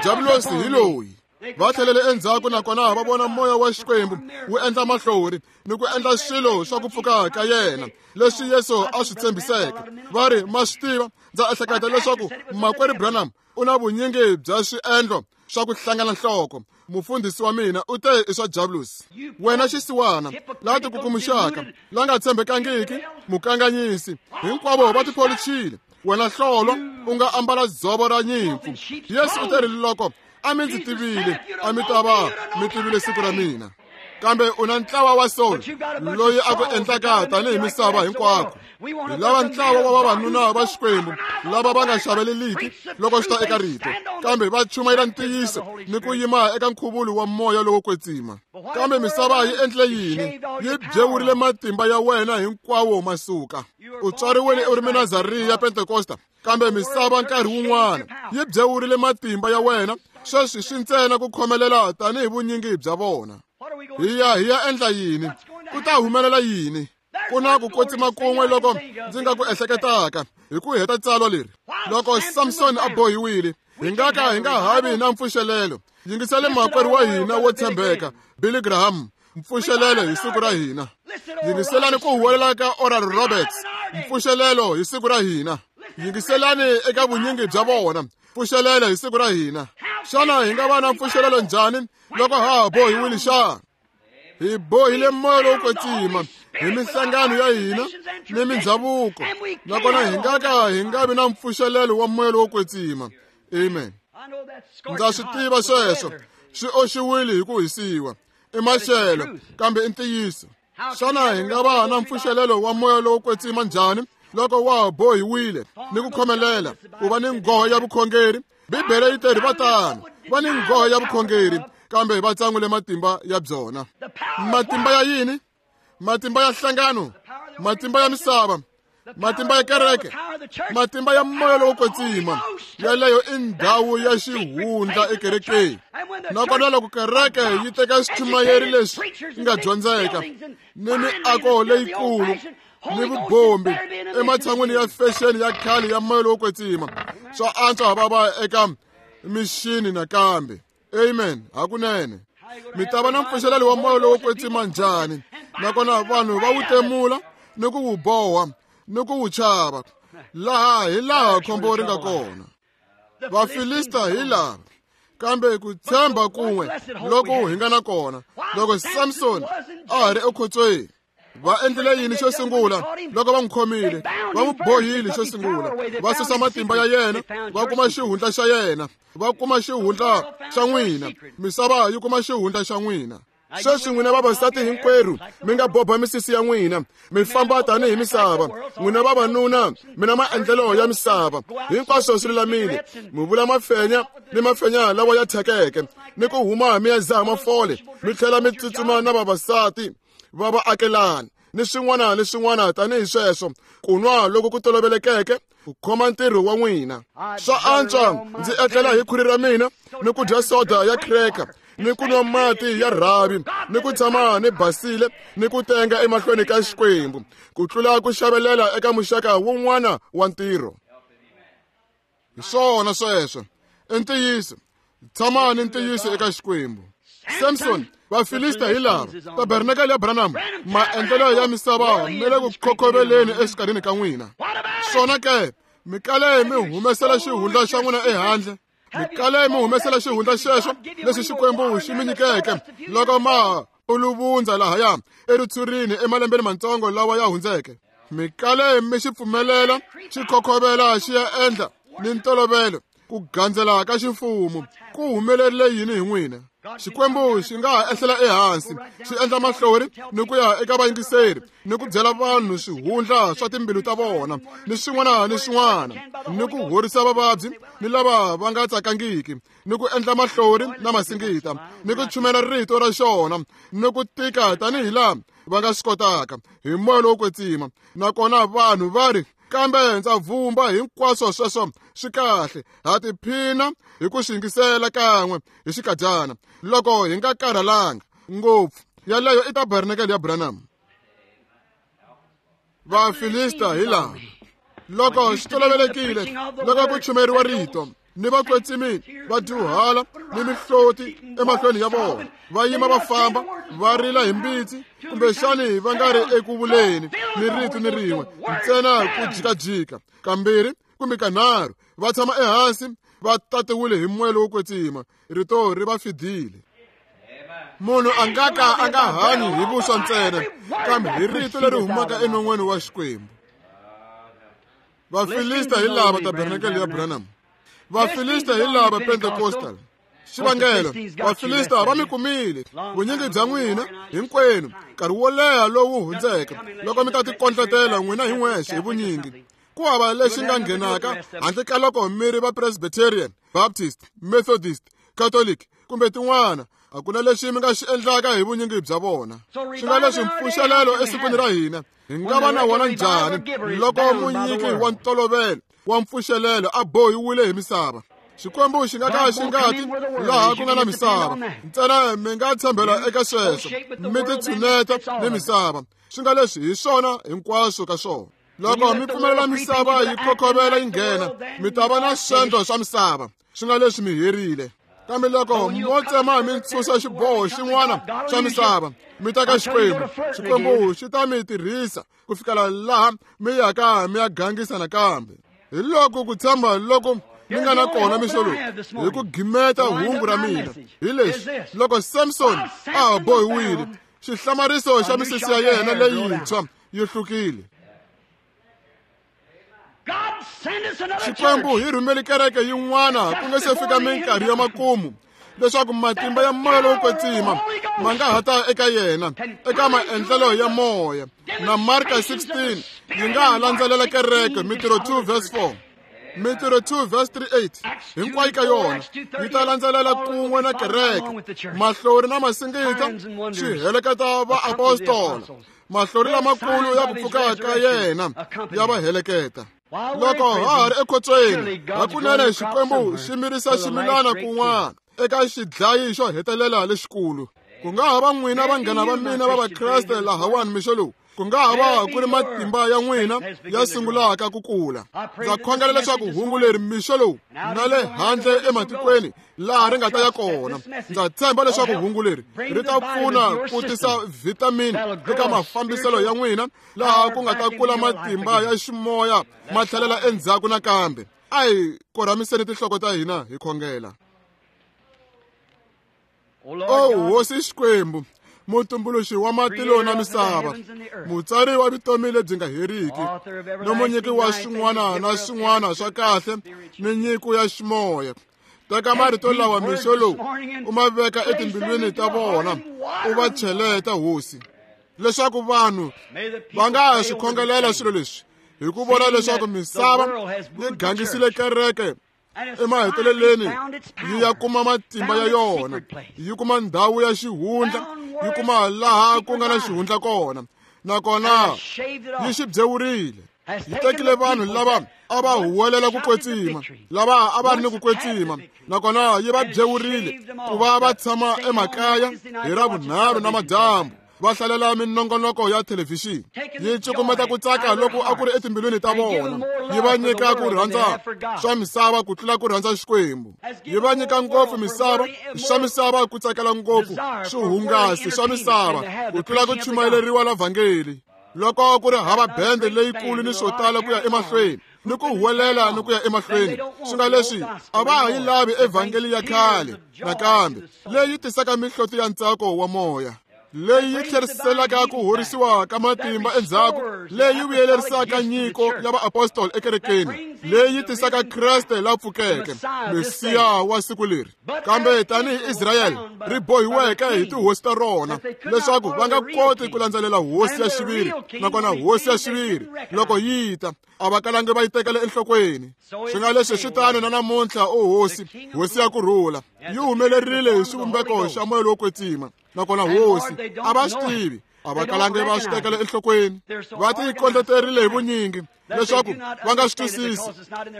Diabulosi hi loyi. Va tlhelele endzhaku nakona va vona moya wa Xikwembu wu endla mahlori ni ku endla swilo swa ku pfuka ka yena leswi Yesu a swi tshembiseke. Va ri, ma swi tiva, ndza ehleketa leswaku makwerhu Branham u na vunyingi bya swiendlo swa ku hlangana nhloko. Mufundhisi wa mina u te i swa Diabulosi. Wena xisiwana la tikukumuxaka, la nga tshembekangiki, mukanganyisi, hinkwavo va tipholichile. Wena hlolo u nga ambala dzovo ra nyimpfu. Yesu u te ri loko a mi ndzi tivile, a mi ta va mi tivile siku ra mina. Kambe u na ntlawa wa Saul loyi a ku endlaka tanihi misava hinkwako. Hi lava ntlawa wa vavanuna va Xikwembu lava va nga xaveleliki loko swi ta eka rito, kambe va chumayela ntiyiso ni ku yima eka nkhuvulo wa moya lowo kwetsima. Kambe misava yi endle yini? Yi byewurile matimba ya wena hinkwawo ma suka. U tswariwile u ri Munazariya ya Pentekosta, kambe misava nkarhi wun'wana yi byewurile matimba ya wena. Sweswi swi ntsena ku khomelela tanihi vunyingi bya vona. Hi ya hi ya endla yini? Ku ta humelela yini? Ku na ku kwetsima kun'we loko ndzi nga ku ehleketaka hi ku heta tsalwa leri. Loko Samson a bohiwile, hi nga ka hi nga havi na mpfuxelelo. Yingisele makwerhu wa hina wo tshembeka Billy Graham, mpfuxelelo hi siku ra hina. Yingiselani ku huwelela ka Oral Roberts, mpfuxelelo hi siku ra hina. Yingiselani eka vunyingi bya vona, mpfuxelelo hi siku ra hina. Xana hi nga va na mpfuxelelo njhani loko ha ha bohiwile xana? Hi bohile moya lowo kwetsima hi minhlangano ya hina ni mindhavuko, nakona hi nga ka hi nga vi na mpfuxelelo wa moya lowo kwetsima. Amen. Ndza swi tiva sweswo swi oxiwile hi ku hisiwa, i maxelo, kambe i ntiyiso. Xana hi nga va na mpfuxelelo wa moya lowo kwetsima njhani loko wa ha bohiwile ni ku khomelela ku va ni nghoho ya vukhongeri? Bibele yi teri va tano, va ni nghoho ya vukhongeri, kambe va tsan'wile matimba ya byona. Matimba ya yini? Matimba ya nhlangano, matimba ya misava, Matimba ya kereke, matimba ya moya lowo kwetsima, yaleyo i ndhawu ya xihundla ekerekeni. Nakona loko kereke yi teka swichumayeri leswi nga dyondzeka ni miako leyikulu ni vubombi ematshan'wini ya fexeni ya khale ya moya lowo kwetsima, swa antswa va va eka mixini nakambe. Amen. Hakunene mi ta va na mpfuxelelo wa moya lowo kwetsima njhani? Nakona vanhu va wu temula ni ku wu boha ni ku wu chava. Laha hi laha khombo ri nga kona. Vafilista hi lava, kambe ku tshemba kun'we loko hi nga na kona. Loko Samson a ha ri ekhotsweni, va endlile yini xo sungula loko va n'wi khomile? Va n'wi bohile xo sungula, va susa matimba ya yena, va kuma xihundla xa yena, va kuma xihundla xa n'wina. Misava yi kuma xihundla xa n'wina. Sweswi n'wina vavasati hinkwerhu mi nga boba misisi ya n'wina, mi famba tanihi misava. N'wina vavanuna mi na maendlelo ya misava, hinkwaswo swi lulamile. Mi vula mafenya ni mafenya lawa ya thyakeke, ni ku huma mi ya zaha mafole, mi tlhela mi tsutsuma na vavasati va vaakelani ni swin'wana ni swin'wana tanihi sweswo. Ku nwa loko ku tolovelekeke ku khoma ntirho wa n'wina. Swa antswa ndzi etlela hi khwiri ra mina ni ku dya soda ya cracker ni ku nwa mati ya rhavi ni ku tshama ni basile ni ku tenga emahlweni ka Xikwembu, ku tlula ku xavelela eka muxaka wun'wana wa ntirho. Hi swona sweswo. I ntiyiso. Tshama ni ntiyiso eka Xikwembu. Samson, Vafilista hi lava, tabernakele ya Branham, maendlelo ya misava mi le ku khokhoveleni exikarhini ka n'wina. Swona ke, mi kale mi humesela xihundla xa n'wina ehandle. Mi kale mi humesela xihundla xexo lexi Xikwembu xi mi nyikeke loko ma puluvundza lahaya eritshurini emalembeni matsongo lawa ya hundzeke. Mi kale mi xi pfumelela xi khokhovela xi ya endla ni ntolovelo ku gandzela ka ximfumo. Ku humelerile yini hi n'wina? Xikwembu xi nga ha ehlela ehansi, xi endla mahlori ni ku ya eka vayingiseri ni ku byela vanhu swihundla swa timbilu ta vona ni swin'wana ni swin'wana, ni ku horisa vavabyi ni lava va nga tsakangiki, ni ku endla mahlori na masingita, ni ku chumela rito ra xona ni ku tika tanihi laha va nga swi kotaka hi moya lowo kwetsima. Nakona vanhu va ri, kambe ndza vumba hinkwaswo sweswo swi kahle, ha tiphina hi ku swi yingisela kan'we hi xikadyana loko hi nga karhalanga ngopfu. Yaleyo i tabernakele ya Branham. Vafilista hi lava, loko swi tolovelekile loko ku chumeriwa rito ni vakwetsimi va dyuhala ni mihloti emahlweni ya vona, va yima va famba va rila hi mbitsi, kumbexani va nga ri eku vuleni ni rito ni rin'we, ntsena ku jikajika kambirhi kumbe kanharhu, va tshama ehansi va tatiwile hi moya lowo kwetsima. Rito ri va fidile. Munhu a nga ka a nga hanyi hi vuswa ntsena, kambe hi rito leri humaka enon'weni wa Xikwembu. Vafilista hi lava tabernakele ya Branham. Vafilista hi lava Pentecostal. Xivangelo, Vafilista va mi kumile vunyingi bya n'wina hinkwenu nkarhi wo leha lowu hundzeke, loko mi ta tikondletela n'wina hi n'wexe hi vunyingi. Ku hava lexi nga nghenaka handle ka loko mi ri va Presbyterian, Baptist, Methodist, Catholic kumbe tin'wana. A ku na lexi mi nga xi endlaka hi vunyingi bya vona. Swi nga leswi mpfuxelelo esikwini ra hina hi nga va na wona njhani loko munyiki wa ntolovelo wa mpfuxelelo a bohiwile hi misava? Xikwembu xi nga ka xi nga ti laha ku nga na misava ntsena, mi nga tshembela eka sweswo, mi titshuneta ni misava. Swi nga leswi hi swona hinkwaswo ka swona. Loko mi pfumelela misava yi khokhovela yi nghena, mi ta va na swendlo swa misava. Swi nga leswi mi herile. Kambe loko mo tsema mi ntshunxa xiboho xin'wana xa misava, mi ta ka Xikwembu. Xikwembu xi ta mi tirhisa ku fikela laha mi yaka mi ya gangisa nakambe. Hi loko ku tshemba loko mi nga na kona mixo lowu, hi ku gimeta hungu ra mina hi leswi: loko Samson a ha bohiwile, xihlamariso xa misisi ya yena leyintshwa yi hlukile. Xikwembu hi rhumele kereke yin'wana ku nga se fika minkarhi ya makumu, leswaku matimba ya moya lowo kwetsima ma nga ha ta eka yena eka maendlelo ya moya. Na Marka sixteen yi nga ha landzelela kereke, Mitirho two verse four, Mitirho two verse thirty-eight, hinkwayo ka yona yi ta landzelela kun'we na kereke. Mahlori na masingita swi heleketa vaapostola Mahlori lamakulu ya ku pfuka ka yena ya va heleketa. Loko ha ha ri ekhotsweni, hakunene Xikwembu xi mirisa ximilana kun'wana eka xidlayi xo hetelela lexikulu. Ku nga ha va n'wina vanghana va mina va Vakreste lahawani mixo lowu, ku nga ha va ku ri matimba ya n'wina ya sungulaka ku kula. Ndza khongela leswaku hungu leri mixo lowu na le handle ematikweni laha ri nga ta ya kona, ndza tshemba leswaku hungu leri ri ta pfuna ku tisa vhitamini eka mafambiselo ya n'wina, laha ku nga ta kula matimba ya ximoya ma tlhelela endzhaku nakambe. A hi korhamiseni tinhloko ta hina hi khongela. O Hosi Xikwembu, mutumbuluxi wa matilo na misava, mutsari wa vutomi lebyi nga heriki, ni munyiki wa swin'wana na swin'wana swa kahle ni nyiko ya ximoya, teka marito lawa mixo lowu u ma veka etimbilwini ta vona, u va cheleta Hosi, leswaku vanhu va nga ha swi khongelela swilo leswi hi ku vona leswaku misava yi gangisile kereke emaheteleleni yi ya kuma matimba ya yona, yi kuma ndhawu ya xihundla, yi kuma laha ku nga na xihundla kona, nakona yi xi byewurile. Yi tekile vanhu lava a va huwelela ku kwetsima, lava a va ri ni ku kwetsima, nakona yi va byewurile ku va va tshama emakaya hi Ravunharhu na madyambu, va hlalela minongonoko ya thelevhixini. Yi cukumeta ku tsaka loko a ku ri etimbilwini ta vona, yi va nyika ku rhandza swa misava ku tlula ku rhandza Xikwembu. Yi va nyika ngopfu misava swa misava ku tsakela ngopfu swihungasi swa misava ku tlula ku chumayeleriwa la vhangeli. Loko ku ri hava bende leyikulu ni swo tala ku ya emahlweni ni ku huwelela ni ku ya emahlweni, swi nga leswi a va ha yi lavi evhangeli ya khale nakambe, leyi tisaka mihloti ya ntsako wa moya, leyi yi tlheriselaka ku horisiwa ka matimba endzhaku, leyi vuyelerisaka nyiko ya vaapostoli ekerekeni, leyi tisaka Kreste la pfukeke, Mesiya wa siku leri. Kambe tanihi Israyele ri bohiweke hi tihosi ta rona leswaku va nga koti ku landzelela hosi ya xiviri, nakona hosi ya xiviri loko yi ta a va kalangi va yi tekela enhlokweni. Swi nga leswi swi tano na namuntlha, o Hosi, Hosi ya ku rhula, yi humelerile hi xivumbeko xa moya lowo kwetsima, nakona Hosi a va swi tivi, a va kalangi va swi tekela enhlokweni. Va ti kondleterile hi vunyingi leswaku va nga swi twisisi,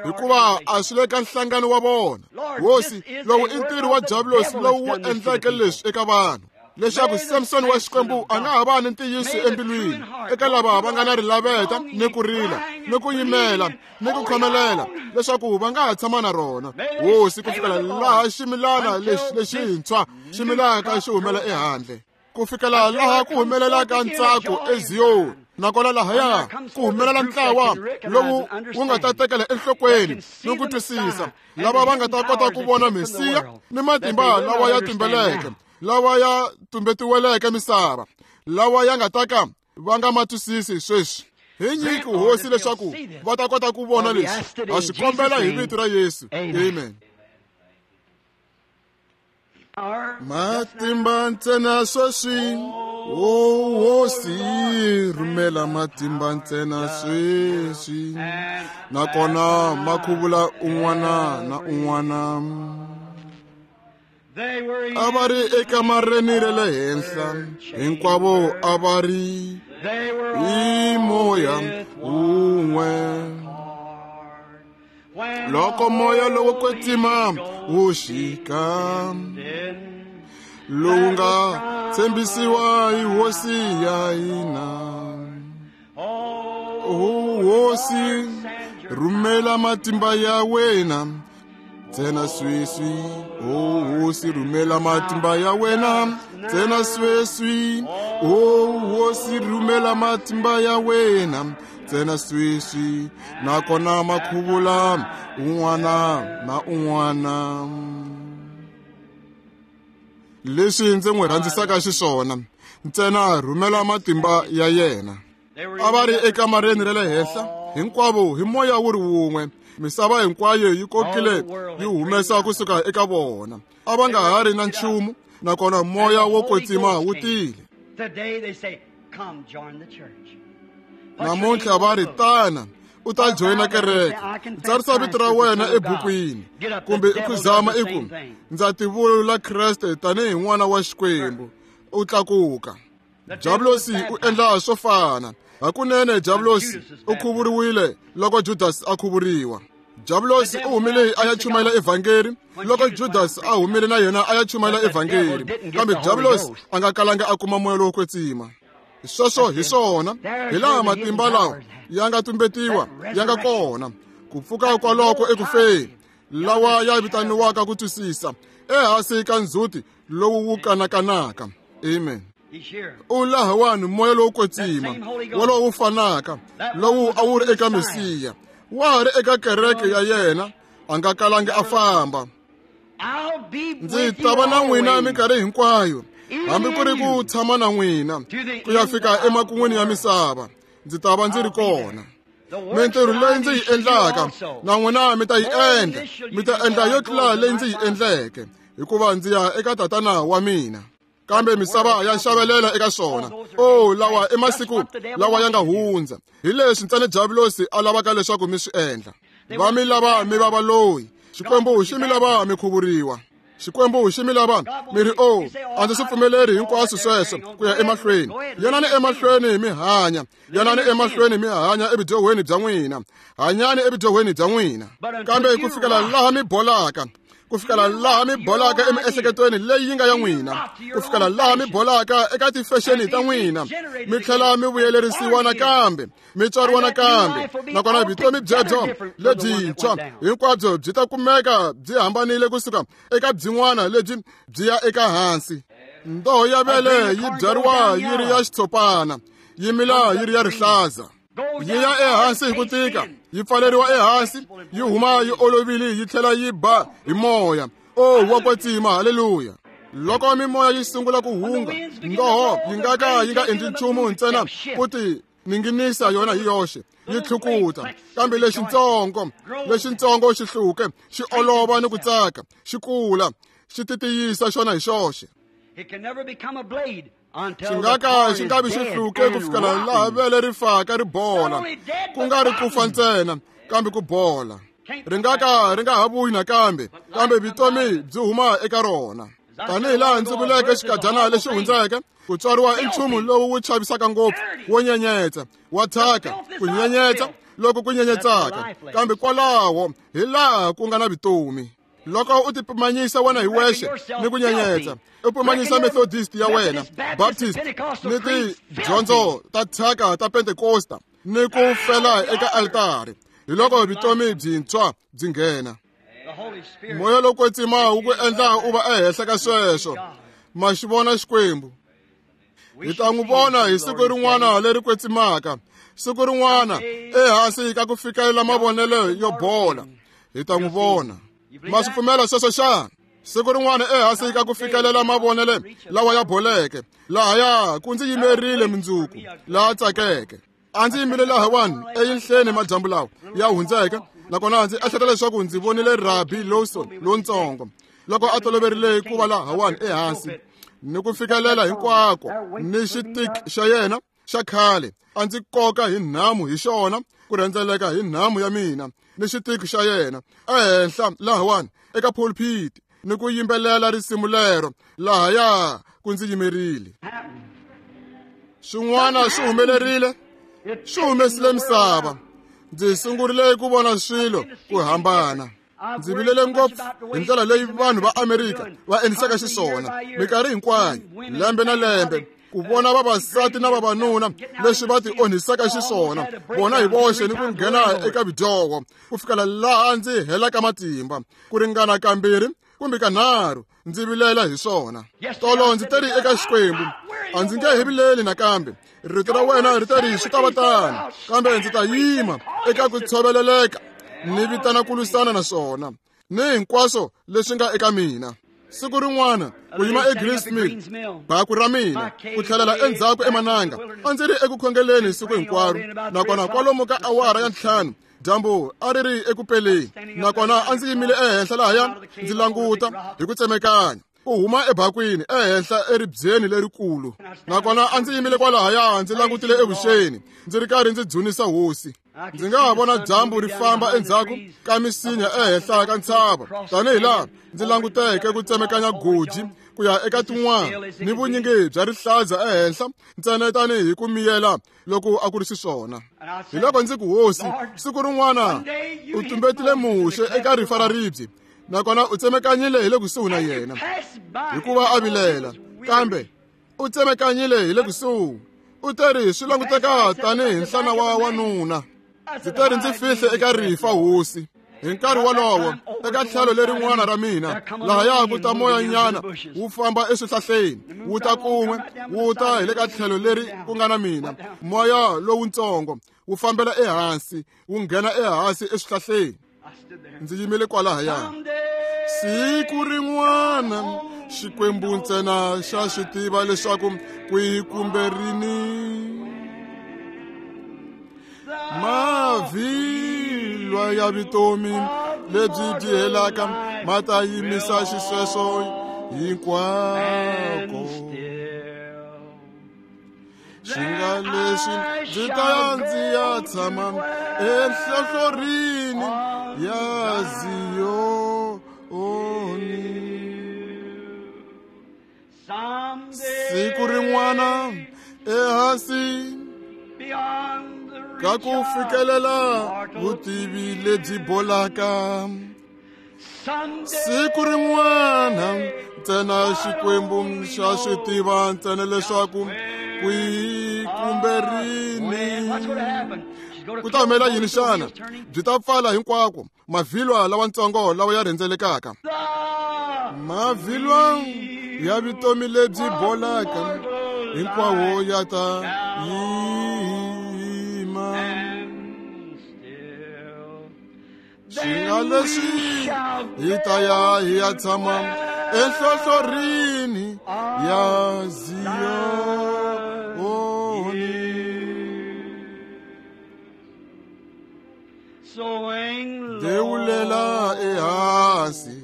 hikuva a swi le ka nhlangano wa vona. Hosi, lowu i ntirho wa Diabulosi lowu wu endleke leswi eka vanhu, leswaku Samson wa Xikwembu a nga ha va ni ntiyiso embilwini eka lava va nga na rilaveta ni ku rila ni ku yimela ni ku khomelela, leswaku va nga ha tshama na rona Hosi ku fikela laha ximilana lexi lexintshwa xi milaka xi humela ehandle, ku fikela laha ku humelelaka ntsako eZiyoni, nakona lahaya ku humelela ntlawa lowu wu nga ta tekela enhlokweni ni ku twisisa, lava va nga ta kota ku vona Mesiya ni matimba lawa ya tumbeleke, lawa ya tumbetiweleke misava, lawa ya nga ta ka va nga ma twisisi sweswi. Hi nyiki Hosi leswaku va ta kota ku vona leswi. Ha swi kombela hi vito ra Yesu. Amen. Matimba ntsena sweswi, o Hosi, rhumela matimba ntsena sweswi, nakona ma khuvula un'wana na un'wana. A va ri ekamareni ra le henhla, hinkwavo a va ri hi moya wun'we. Loko moya lowo kwetsima wu xika, lowu nga tshembisiwa hi Hosi ya hina, o Hosi, rhumela matimba ya wena ntsena sweswi. O Hosi, rhumela matimba ya wena ntsena sweswi. O Hosi, rhumela matimba ya wena ntsena sweswi, nakona ma khuvula un'wana na un'wana. Leswi ndzi n'wi rhandzisaka xiswona, ntsena rhumela matimba ya yena. A va ri ekamareni ra le henhla hinkwavo hi moya wu ri wun'we, misava hinkwayo yi kokile yi humesa kusuka eka vona. A va nga ha ri na nchumu, nakona moya wo kwetsima wu tile. Namuntlha va ri, tana u ta joyina kereke, tsarisa vito ra wena ebukwini, kumbe i ku zama i ku ndza tivula Kreste tanihi n'wana wa Xikwembu, u tlakuka. Diablosi u endla swo fana. Hakunene Diablosi u khuvuriwile loko Judas a khuvuriwa. Diablosi u humile a ya chumayela evhangeri loko Judas a humile na yena a ya chumayela evhangeri. Kambe Diablosi a nga kalanga a kuma moya lowo kwetsima. Sweswo hi swona, hi laha matimba lawa ya nga tumbetiwa ya nga kona. Ku pfuka kwaloko ekufeni, lawa ya vitaniwaka ku twisisa ehansi ka ndzhuti lowu wu kanakanaka. Amen. U lahawani moya lowo kwetsima wolowo wu fanaka lowu a wu ri eka Mesiya, wa ha ri eka kereke ya yena, a nga kalangi a famba. Ndzi ta va na n'wina minkarhi hinkwayo, hambi ku ri ku tshama na n'wina ku ya fika emakun'wini ya misava, ndzi ta va ndzi ri kona. Mintirho leyi ndzi yi endlaka na n'wina mi ta yi endla, mi ta endla yo tlula leyi ndzi yi endleke, hikuva ndzi ya eka Tatana wa mina. Kambe misava ya xavelela eka swona. Oh, lawa i masiku lawa ya nga hundza. Hi leswi ntsena Diablosi a lavaka leswaku mi swi endla. Va mi lava mi va valoyi. Xikwembu xi mi lava mi khuvuriwa. Xikwembu xi mi lava mi ri, oh, a ndzi swi pfumeleri hinkwaswo sweswo ku ya emahlweni. Yanani emahlweni mi hanya. Yanani emahlweni mi hanya evudyohweni bya n'wina. Hanyani evudyohweni bya n'wina. Kambe ku fikela laha mi bolaka, ku fikela laha mi bolaka emiehleketweni leyi yi nga ya n'wina, ku fikela laha mi bolaka eka tifexeni ta n'wina, mi tlhela mi vuyelerisiwa nakambe, mi tswariwa nakambe, nakona vutomi byebyo lebyintshwa hinkwabyo byi ta kumeka byi hambanile kusuka eka byin'wana lebyi byi ya eka hansi. Ndoho ya vele yi byariwa yi ri ya xitshopana, yi mila yi ri ya rihlaza. Yi ya ehansi hi ku tika, yi pfaleriwa ehansi, yi huma yi olovile, yi tlhela yi ba hi moya. Oh, wa kwetsima, haleluya. Loko mimoya yi sungula ku hunga, ndoho yi nga ka yi nga endli nchumu ntsena ku ti ninginisa yona hi yoxe, yi tlhukuta. Kambe lexitsongo, lexitsongo xi hluke, xi olova ni ku tsaka, xi kula, xi titiyisa xona hi xoxe. Xi nga ka xi nga vi xi hluke ku fikela laha vele ri faka ri bola, ku nga ri ku fa ntsena, kambe ku bola. Ri nga ka ri nga ha vuyi nakambe, kambe vutomi byi huma eka rona. Tanihi laha ndzi vuleke xikadyana lexi hundzeke, ku tswariwa i nchumu lowu wu chavisaka ngopfu, wo nyenyetsa, wa thyaka, ku nyenyetsa loko ku nyenyetsaka, kambe kwalaho hi laha ku nga na vutomi. Loko u ti pimanyisa wena hi wexe ni ku nyenyetsa, u pimanyisa Methodist ya wena, Baptist ni tidyondzo ta thyaka ta Pentecosta ni ku fela eka altari, hi loko vutomi byintshwa byi nghena. Moya lowo kwetsima wu ku endla u va ehenhla ka sweswo. Ma xi vona Xikwembu. Hi ta n'wi vona hi siku rin'wana leri kwetsimaka, siku rin'wana ehansi ka ku fikelela mavonelo yo bola. Hi ta n'wi vona. Ma swi pfumela sweswo xana? Siku rin'wana ehansi ka ku fikelela mavonelo lawa ya boleke, lahaya ku ndzi yimerile mundzuku laha tsakeke. A ndzi yimile lahawani eyinhleni madyambu lawa ya hundzeke, nakona ndzi ehleketa leswaku ndzi vonile Rabi Lawson lontsongo loko a toloverile ku va lahawani ehansi ni ku fikelela hinkwako ni xitiki xa yena xa khale. A ndzi koka hi nhamu hi xona, ku rhendzeleka hi nhamu ya mina ni xitiki xa yena ehenhla lahawani eka pulpit ni ku yimbelela risimu lero lahaya ku ndzi yimerile. Swin'wana swi humelerile, swi humesile misava. Ndzi sungurile ku vona swilo ku hambana. Ndzi vilele ngopfu hi ndlela leyi vanhu va Amerika va endlisaka xiswona minkarhi hinkwayo, lembe na lembe, ku vona vavasati na vavanuna leswi va ti onhisaka xiswona vona hi voxe ni ku nghena eka vudyoho ku fikela laha ndzi helaka matimba ku ringana kambirhi kumbe kanharhu. Ndzi vilela hi swona. Tolo ndzi teri eka Xikwembu, a ndzi nge he vileli nakambe. Rito ra wena ri teri swi ta va tano, kambe ndzi ta yima eka ku tshoveleleka ni vitana ku lwisana na swona ni hinkwaswo leswi nga eka mina. Siku rin'wana ku yima eGreens Mill, baku ra mina ku tlhelela endzhaku emananga, a ndzi ri eku khongeleni siku hinkwaro, nakona kwalomu ka awara ya ntlhanu dyambu a ri ri eku peleni, nakona a ndzi yimile ehenhla lahaya ndzi languta hi ku tsemekanya ku huma ebakwini ehenhla eribyeni lerikulu, nakona a ndzi yimile kwalahaya ndzi langutile evuxeni ndzi ri karhi ndzi dzunisa hosi. Ndzi nga ha vona dyambu ri famba endzhaku ka misinya ehenhla ka ntshava, tanihi laha ndzi languteke ku tsemekanya goji ku ya eka tin'wana ni vunyingi bya rihlaza ehenhla ntsena tanihi ku miyela loko a ku ri xiswona. Hi loko ndzi ku hosi, siku rin'wana u tumbetile Muxe eka rifa ra ribye, nakona u tsemekanyile hi le kusuhi na yena hikuva a vilela, kambe u tsemekanyile hi le kusuhi. U teri swi languteka tanihi nhlana wa wanuna. Ndzi teri ndzi fihle eka rifa hosi. Hi nkarhi wolowo eka tlhelo lerin'wana ra mina lahaya ku ta moyanyana wu famba eswihlahleni, wu ta kun'we wu ta hi le ka tlhelo leri ku nga na mina. Moya lowutsongo wu fambela ehansi, wu nghena ehansi eswihlahleni. Ndzi yimile kwalahaya. Siku rin'wana Xikwembu ntsena xa swi tiva leswaku kwihi kumbe rini mavhilwa ya vutomi lebyi byi helaka ma ta yimisa xisweswo hinkwako. Xi nga leswi ndzi ta ya ndzi ya tshama enhlohlorini ya Ziyoni. Siku rin'wana ehansi ka ku fikelela vutivi lebyi bolaka, siku rin'wana ntsena Xikwembu xa swi tiva ntsena leswaku kwihi kumbe rini. Ku ta humelela yini xana? Byi ta pfala hinkwako mavhilwa lawatsongo lawa ya rhendzelekaka, mavhilwa ya vutomi lebyi bolaka hinkwawo ya ta yima. Xi nga leswi hi ta ya hi ya tshama enhlohlorini ya Ziyoni. Dewulela ehansi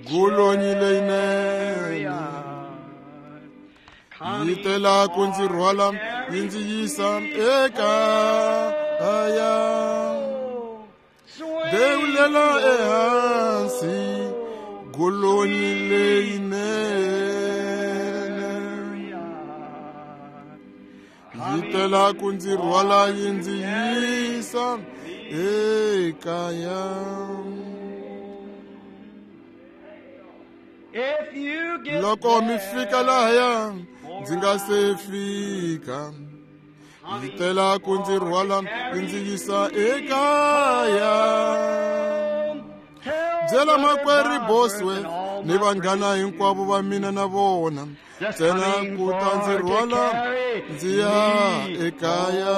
golonyi leyinene yi tela ku ndzi rhwala yi ndzi yisa ekaya. Dewulela ehansi golonyi leyinene yi tela ku ndzi rhwala yi ndzi yisa ekaya. Loko mi fika lahaya ndzi nga se fika, yi tela ku ndzi rhwala yi ndzi yisa ekaya. Byela makwerhu Bosworth ni vanghana hinkwavo va mina na vona ntsena ku ta ndzi rhwala ndzi ya ekaya.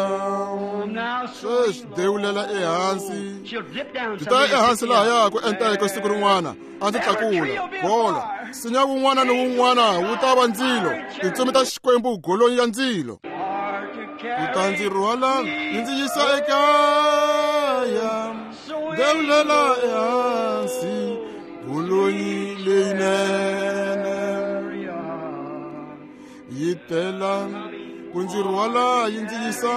Sweswi dewulela ehansi, ndzi ta ya ehansi lahaya ku enta siku rin'wana a ndzi tlakula gola. Nsinya wun'wana ni wun'wana wu ta va ndzilo, tintsumi ta Xikwembu golonyi ya ndzilo. Ku ta ndzi rhwala yi ndzi yisa ekaya. Dewulela ehansi golonyi leyinene yi tela ku ndzi rhwala yi ndzi yisa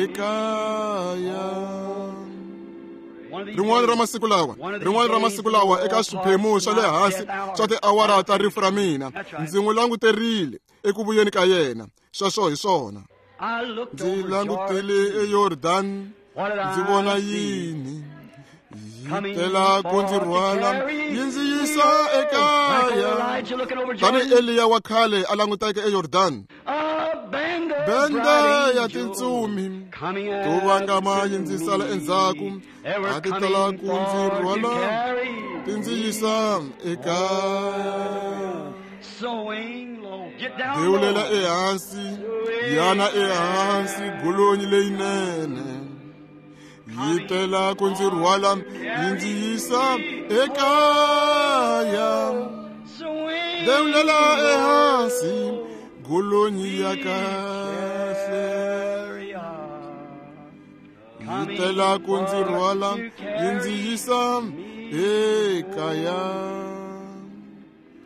ekaya. Rin'wana ra masiku lawa, rin'wana ra masiku lawa eka swiphemu swa le hansi swa tiawara ta rifu ra mina, ndzi n'wi languterile eku vuyeni ka yena. Sweswo hi swona. Ndzi langutile eYordan, ndzi vona yini? Yi tela ku ndzi rhwala yi ndzi yisa ekaya. Tanihi Eliya wa khale a languteke eYordan, bende ya tintsumi to vangama yi ndzi sala endzhaku, a ti tala ku ndzi rhwala ti ndzi yisa ekaya. Dewulela ehansi, yana ehansi golonyi leyinene yi tela ku ndzi rhwala yi ndzi yisa ekaya. Dewulela ehansi golonyi ya kahle yi tela ku ndzi rhwala yi ndzi yisa ekaya.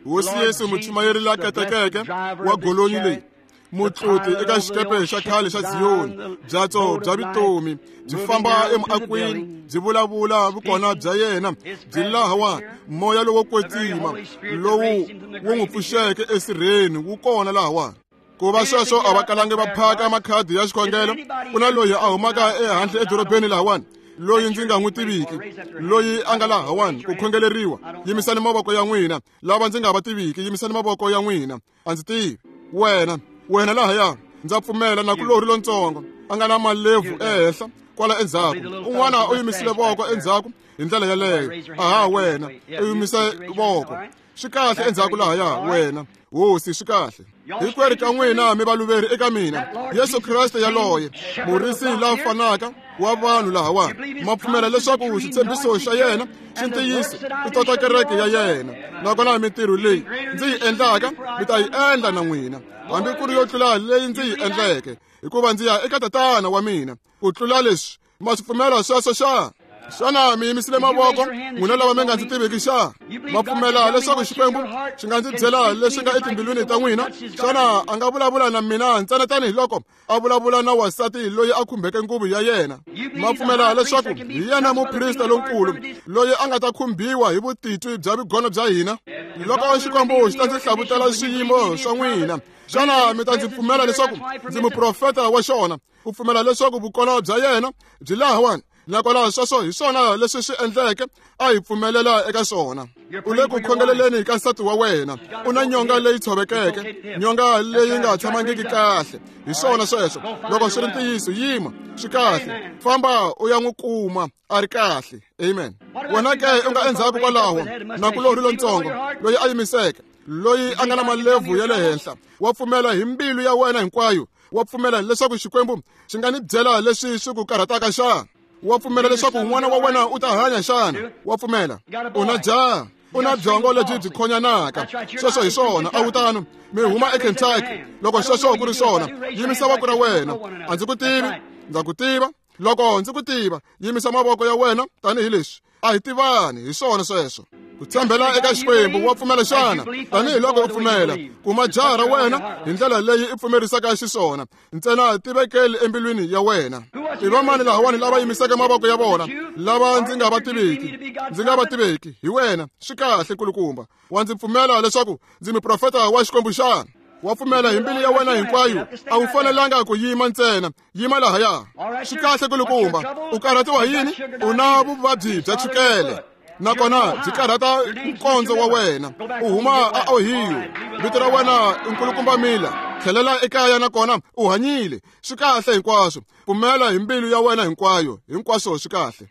Hosi Yesu muchumayeri la katekeke wa golonyi leyi Mutluti eka xikepe xa khale xa Ziyoni, byatso bya vutomi byi famba emuakwini, byi vulavula vukona bya yena byi lahawani. Moya lowo kwetsima lowu wu n'wi pfuxeke esirheni wu kona lahawani. Ku va sweswo a va kalangi va phaka makhadi ya xikhongelo. Ku na loyi a humaka ehandle edorobeni lahawani, loyi ndzi nga n'wi tiviki, loyi a nga lahawani ku khongeleriwa. Yimisani mavoko ya n'wina. Lava ndzi nga va tiviki, yimisani mavoko ya n'wina. A ndzi tivi wena, wena lahaya. Ndza pfumela na kulori lontsongo a nga na malebvu ehenhla kwala endzhaku. Un'wana u yimisile voko endzhaku hi ndlela yaleyo. Aha, wena u yimise voko. Swi kahle endzhaku lahaya wena. Hosi, swi kahle. Hinkwerhu ka n'wina mi valuveri eka mina. Yesu Kreste yaloye, murisi la fanaka wa vanhu lahawani, ma pfumela leswaku xitshembiso xa yena xi ntiyiso ku tota kereke ya yena. Nakona mintirho leyi ndzi yi endlaka mi ta yi endla na n'wina, hambi ku ri yo tlula leyi ndzi yi endleke, hikuva ndzi ya eka Tatana wa mina. Ku tlula leswi, ma swi pfumela sweswo xana? Xana mi yimisile mavoko n'wina lava mi nga ndzi tiviki xana? Ma pfumela leswaku Xikwembu xi nga ndzi byela leswi nga etimbilwini ta n'wina? Xana a nga vulavula na mina ntsena tanihiloko a vulavula na wansati loyi a khumbeke nguvu ya yena? Ma pfumela leswaku hi yena muprista lonkulu loyi a nga ta khumbiwa hi vutitwi bya vugono bya hina? Loko Xikwembu xi ta ndzi hlavutela swiyimo swa n'wina, xana mi ta ndzi pfumela leswaku ndzi muprofeta wa xona? Ku pfumela leswaku vukona bya yena byi lahawani, nakona sweswo hi swona leswi swi endleke a hi pfumelela eka swona. U le ku khongeleleni ka nsati wa wena. U na nyonga leyi tshovekeke, nyonga leyi nga tshamangiki kahle. Hi swona sweswo. Loko swi ri ntiyiso, yima. Swi kahle. Famba u ya n'wi kuma a ri kahle. Amen. Wena ke u nga endzhaku kwalaho na kulori lontsongo loyi a yimiseke, loyi a nga na malebvu ya le henhla, wa pfumela hi mbilu ya wena hinkwayo? Wa pfumela leswaku Xikwembu xi nga ni byela leswi swi ku karhataka xana? Wa pfumela leswaku n'wana wa wena u ta hanya xana? Wa pfumela? U na jaha, u na byongo lebyi byi khonyanaka. Sweswo hi swona. A wu tano? Mi huma eKentucky. Loko sweswo ku ri swona, yimisa voko ra wena. A ndzi ku tivi, ndza ku tiva. Loko ndzi ku tiva, yimisa mavoko ya wena tanihileswi. A hi tivani. Hi swona sweswo. Ku tshembela eka Xikwembu. Wa pfumela xana? Tanihiloko u pfumela, kuma jaha ra wena hi ndlela leyi i pfumerisaka xiswona. Ntsena tivekeli embilwini ya wena. I vamani lahawani lava yimiseke mavoko ya vona, lava ndzi nga va tiviki? Ndzi nga va tiveki. Hi wena. Swi kahle, nkulukumba. Wa ndzi pfumela leswaku ndzi muprofeta wa Xikwembu xana? Wa pfumela hi mbilu ya wena hinkwayo? A wu fanelanga ku yima ntsena. Yima lahaya. Swi kahle, nkulukumba. U karhatiwa hi yini? U na vuvabyi bya chukele, nakona byi karhata nkondzo wa wena. U huma a Ohio. Vito ra wena i nkulukumba Miller. Tlhelela ekaya nakona u hanyile. Swi kahle hinkwaswo. Pfumela hi mbilu ya wena hinkwayo. Hinkwaswo swi kahle.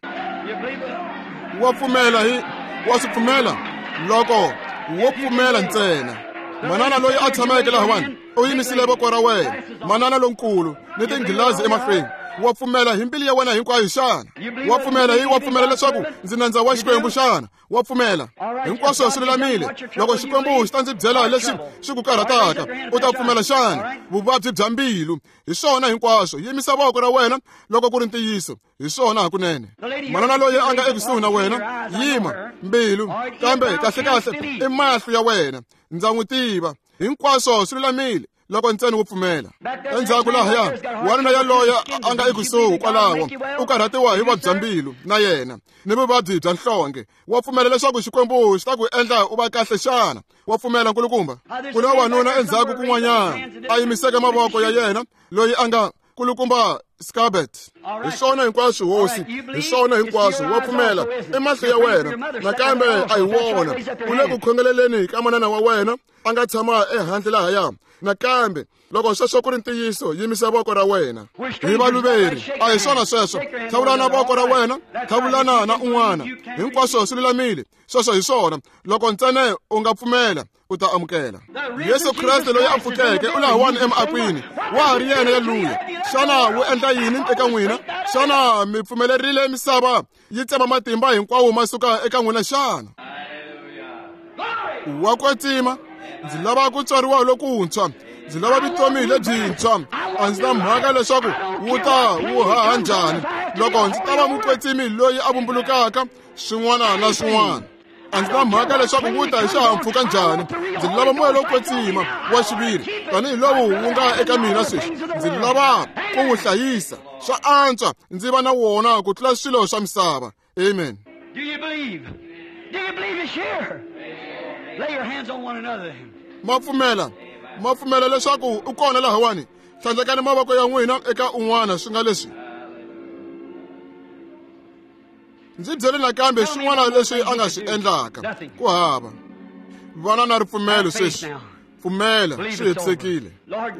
Wa pfumela hi wa swi pfumela? Loko wo pfumela ntsena. Manana loyi a tshameke lahawani u yimisile voko ra wena. Manana lonkulu ni tinghilazi emahlweni. Wa pfumela hi mbilu ya wena hinkwayo xana? Wa pfumela hi wa pfumela leswaku ndzi nandza wa Xikwembu xana? Wa pfumela? Hinkwaswo swi lulamile. Loko Xikwembu xi ta ndzi byela leswi swi ku karhataka, u ta pfumela xana? Vuvabyi bya mbilu. Hi swona hinkwaswo. Yimisa voko ra wena loko ku ri ntiyiso. Hi swona hakunene. Manana loyi a nga ekusuhi na wena, yima. Mbilu, kambe kahle kahle i mahlo ya wena. Ndza n'wi tiva. Hinkwaswo swi lulamile loko ntsena wo pfumela. Endzhaku lahaya, wanuna yaloye a nga ekusuhi kwalaho u karhatiwa hi vuvabyi bya mbilu na yena ni vuvabyi bya nhlonge. Wa pfumela leswaku Xikwembu xi ta ku endla u va kahle xana? Wa pfumela, nkulukumba? Ku na wanuna endzhaku kun'wanyana a yimiseke mavoko ya yena, loyi a nga nkulukumba Scabet. Hi swona hinkwaswo, hosi. Hi swona hinkwaswo. Wa pfumela? I mahlo ya wena. Nakambe a hi wona. U le ku khongeleleni ka manana wa wena a nga tshama ehandle lahaya. Nakambe loko sweswo ku ri ntiyiso, yimisa voko ra wena. Hi valuveri. A hi swona sweswo. Tlhavulana voko ra wena, tlhavulana na un'wana. Hinkwaswo swi lulamile. Sweswo hi swona. Loko ntsena u nga pfumela, u ta amukela. Yesu Kreste loyi a pfukeke u lahawani emakwini. Wa ha ri yena yaluya. Xana wu endla yini eka n'wina? Xana mi pfumelerile misava yi tsema matimba hinkwawo ma suka eka n'wina xana? Wa kwetsima. Ndzi lava ku tswariwa lokuntshwa. Ndzi lava vutomi lebyintshwa. A ndzi na mhaka leswaku wu ta wu haha njhani. Loko ndzi ta va mukwetsimi loyi a vumbulukaka swin'wana na swin'wana. A ndzi na mhaka leswaku wu ta hi xihahampfhuka njhani. Ndzi lava moya lowo kwetsima wa xiviri tanihi lowu wu nga eka mina sweswi. Ndzi lava ku wu hlayisa. Swa antswa ndzi va na wona ku tlula swilo swa misava. Amen. Do you believe? Do you believe it's here? Lay your hands on one another. Ma pfumela, ma pfumela leswaku u kona lahawani. Tlhandlekani mavoko ya n'wina eka un'wana swi nga leswi. Ndzi byele nakambe swin'wana leswi a nga swi endlaka. Ku hava. Vana na ripfumelo sweswi. Pfumela, swi hetisekile.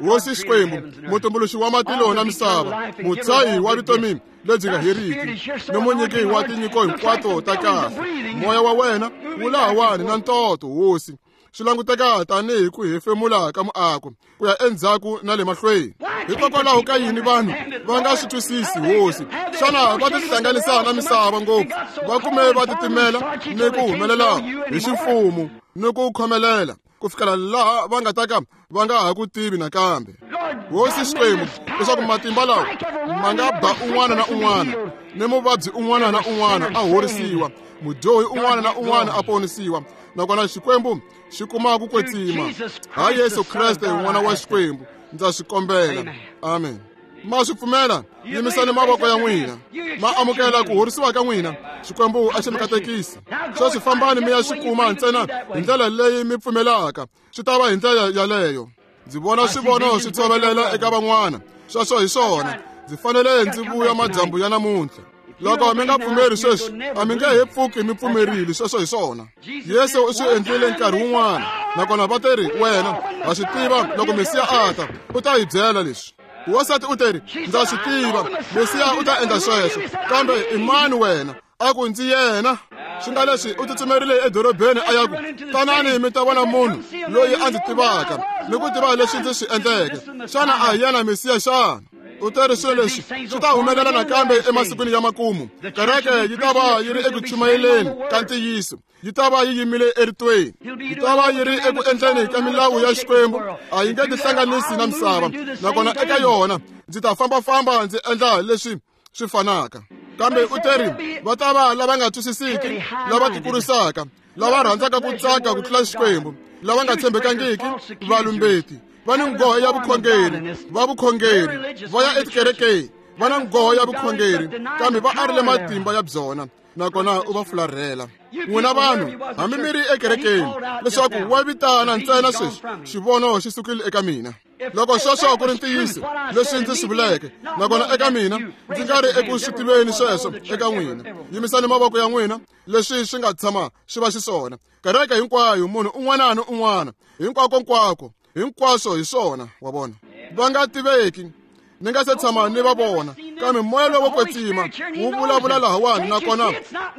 Hosi Xikwembu, mutumbuluxi wa matilo na misava, mutshahi wa vutomi lebyi nga heriki, ni munyiki wa tinyiko hinkwato ta kahle. Moya wa wena wu lahawani na ntoto, Hosi. Swi languteka tanihi ku hefemula ka muako ku ya endzhaku na le mahlweni. Hikokwalaho ka yini vanhu va nga swi twisisi, Hosi? Xana va tihlanganisa na misava ngopfu, va kume va titimela ni ku humelela hi ximfumo ni ku khomelela ku fikela laha va nga ta ka va nga ha ku tivi nakambe. Hosi Xikwembu, leswaku matimba lawa ma nga ba un'wana na un'wana, ni muvabyi un'wana na un'wana a horisiwa, mudyohi un'wana na un'wana a ponisiwa, nakona Xikwembu xi kuma ku kwetsima. Ha Yesu Kreste, n'wana wa Xikwembu, ndza swi kombela. Amen. Ma swi pfumela? Yimisani mavoko ya n'wina. Ma amukela ku horisiwa ka n'wina. Xikwembu a xi mi katekisi. Sweswi fambani mi ya xi kuma ntsena hi ndlela leyi mi pfumelaka. Swi ta va hi ndlela yaleyo. Ndzi vona swivono swi tshovelela eka van'wana. Sweswo hi swona. Ndzi fanele ndzi vuya madyambu ya namuntlha. Loko mi nga pfumeri sweswi, a mi nge he pfuki mi pfumerile. Sweswo hi swona. Yesu u swi endlile nkarhi wun'wana, nakona va teri, wena ha swi tiva loko Mesiya a ta, u ta hi byela leswi. Wansati u teri, ndza swi tiva Mesiya u ta endla sweswo, kambe i mani wena? A ku ndzi yena. Swi nga leswi u tsutsumerile edorobeni a ya ku, tanani mi ta vona munhu loyi a ndzi tivaka ni ku tiva leswi ndzi swi endleke. Xana a hi yena Mesiya xana? U teri swilo leswi swi ta humelela nakambe emasikwini ya makumu. Kereke yi ta va yi ri eku chumayeleni ka ntiyiso, yi ta va yi yimile eritweni, yi ta va yi ri eku endleni ka milawu ya Xikwembu. A yi nge tihlanganisi na misava, nakona eka yona ndzi ta fambafamba ndzi endla leswi swi fanaka. Kambe u teri va ta va lava nga twisisiki, lava tikurisaka, lava rhandzaka ku tsaka ku tlula Xikwembu, lava nga tshembekangiki, valumbeti, va ni nghohe ya vukhongeri, va vukhongeri, va ya etikerekeni, va na nghohe ya vukhongeri, kambe va arile matimba ya byona, nakona u va fularhela. N'wina vanhu, hambi mi ri ekerekeni, leswaku wa vitana ntsena sweswi, xivono xi sukile eka mina. Loko sweswo ku ri ntiyiso leswi ndzi swi vuleke, nakona eka mina ndzi nga ri eku swi tiveni sweswo eka n'wina. Yimisani mavoko ya n'wina, leswi swi nga tshama swi va xiswona. Kereke hinkwayo, munhu un'wana na un'wana, hinkwako-nkwako, hinkwaswo hi swona, wa vona. Va nga tiveki, ni nga se tshama ni va vona, kambe moya lowo kwetsima wu vulavula lahawani, nakona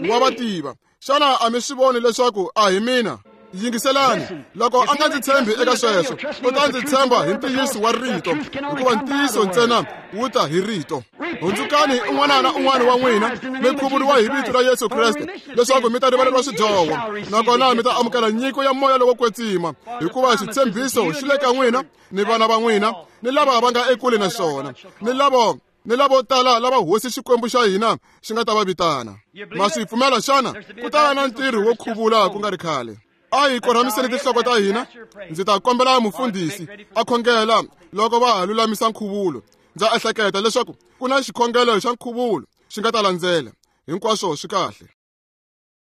wa va tiva. Xana a mi swi voni leswaku a hi mina? Yingiselani, loko a nga ndzi tshembi eka sweswo, u ta ndzi tshemba hi ntiyiso wa rito, hikuva ntiyiso ntsena wu ta hi rito. Hundzukani un'wana na un'wana wa n'wina, mi khuvuriwa hi vito ra Yesu Kreste, leswaku mi ta rivaleriwa swidyoho, nakona mi ta amukela nyiko ya moya lowo kwetsima, hikuva xitshembiso xi le ka n'wina ni vana va n'wina, ni lava va nga ekule na xona, ni lava ni lavo tala lava Hosi Xikwembu xa hina xi nga ta va vitana. Ma swi pfumela xana? Ku ta va na ntirho wo khuvula ku nga ri khale. A hi korhamiseni tinhloko ta hina. Ndzi ta kombela mufundhisi a khongela loko va ha lulamisa nkhuvulo. Ndza ehleketa leswaku ku na xikhongelo xa nkhuvulo xi nga ta landzela. Hinkwaswo swi kahle.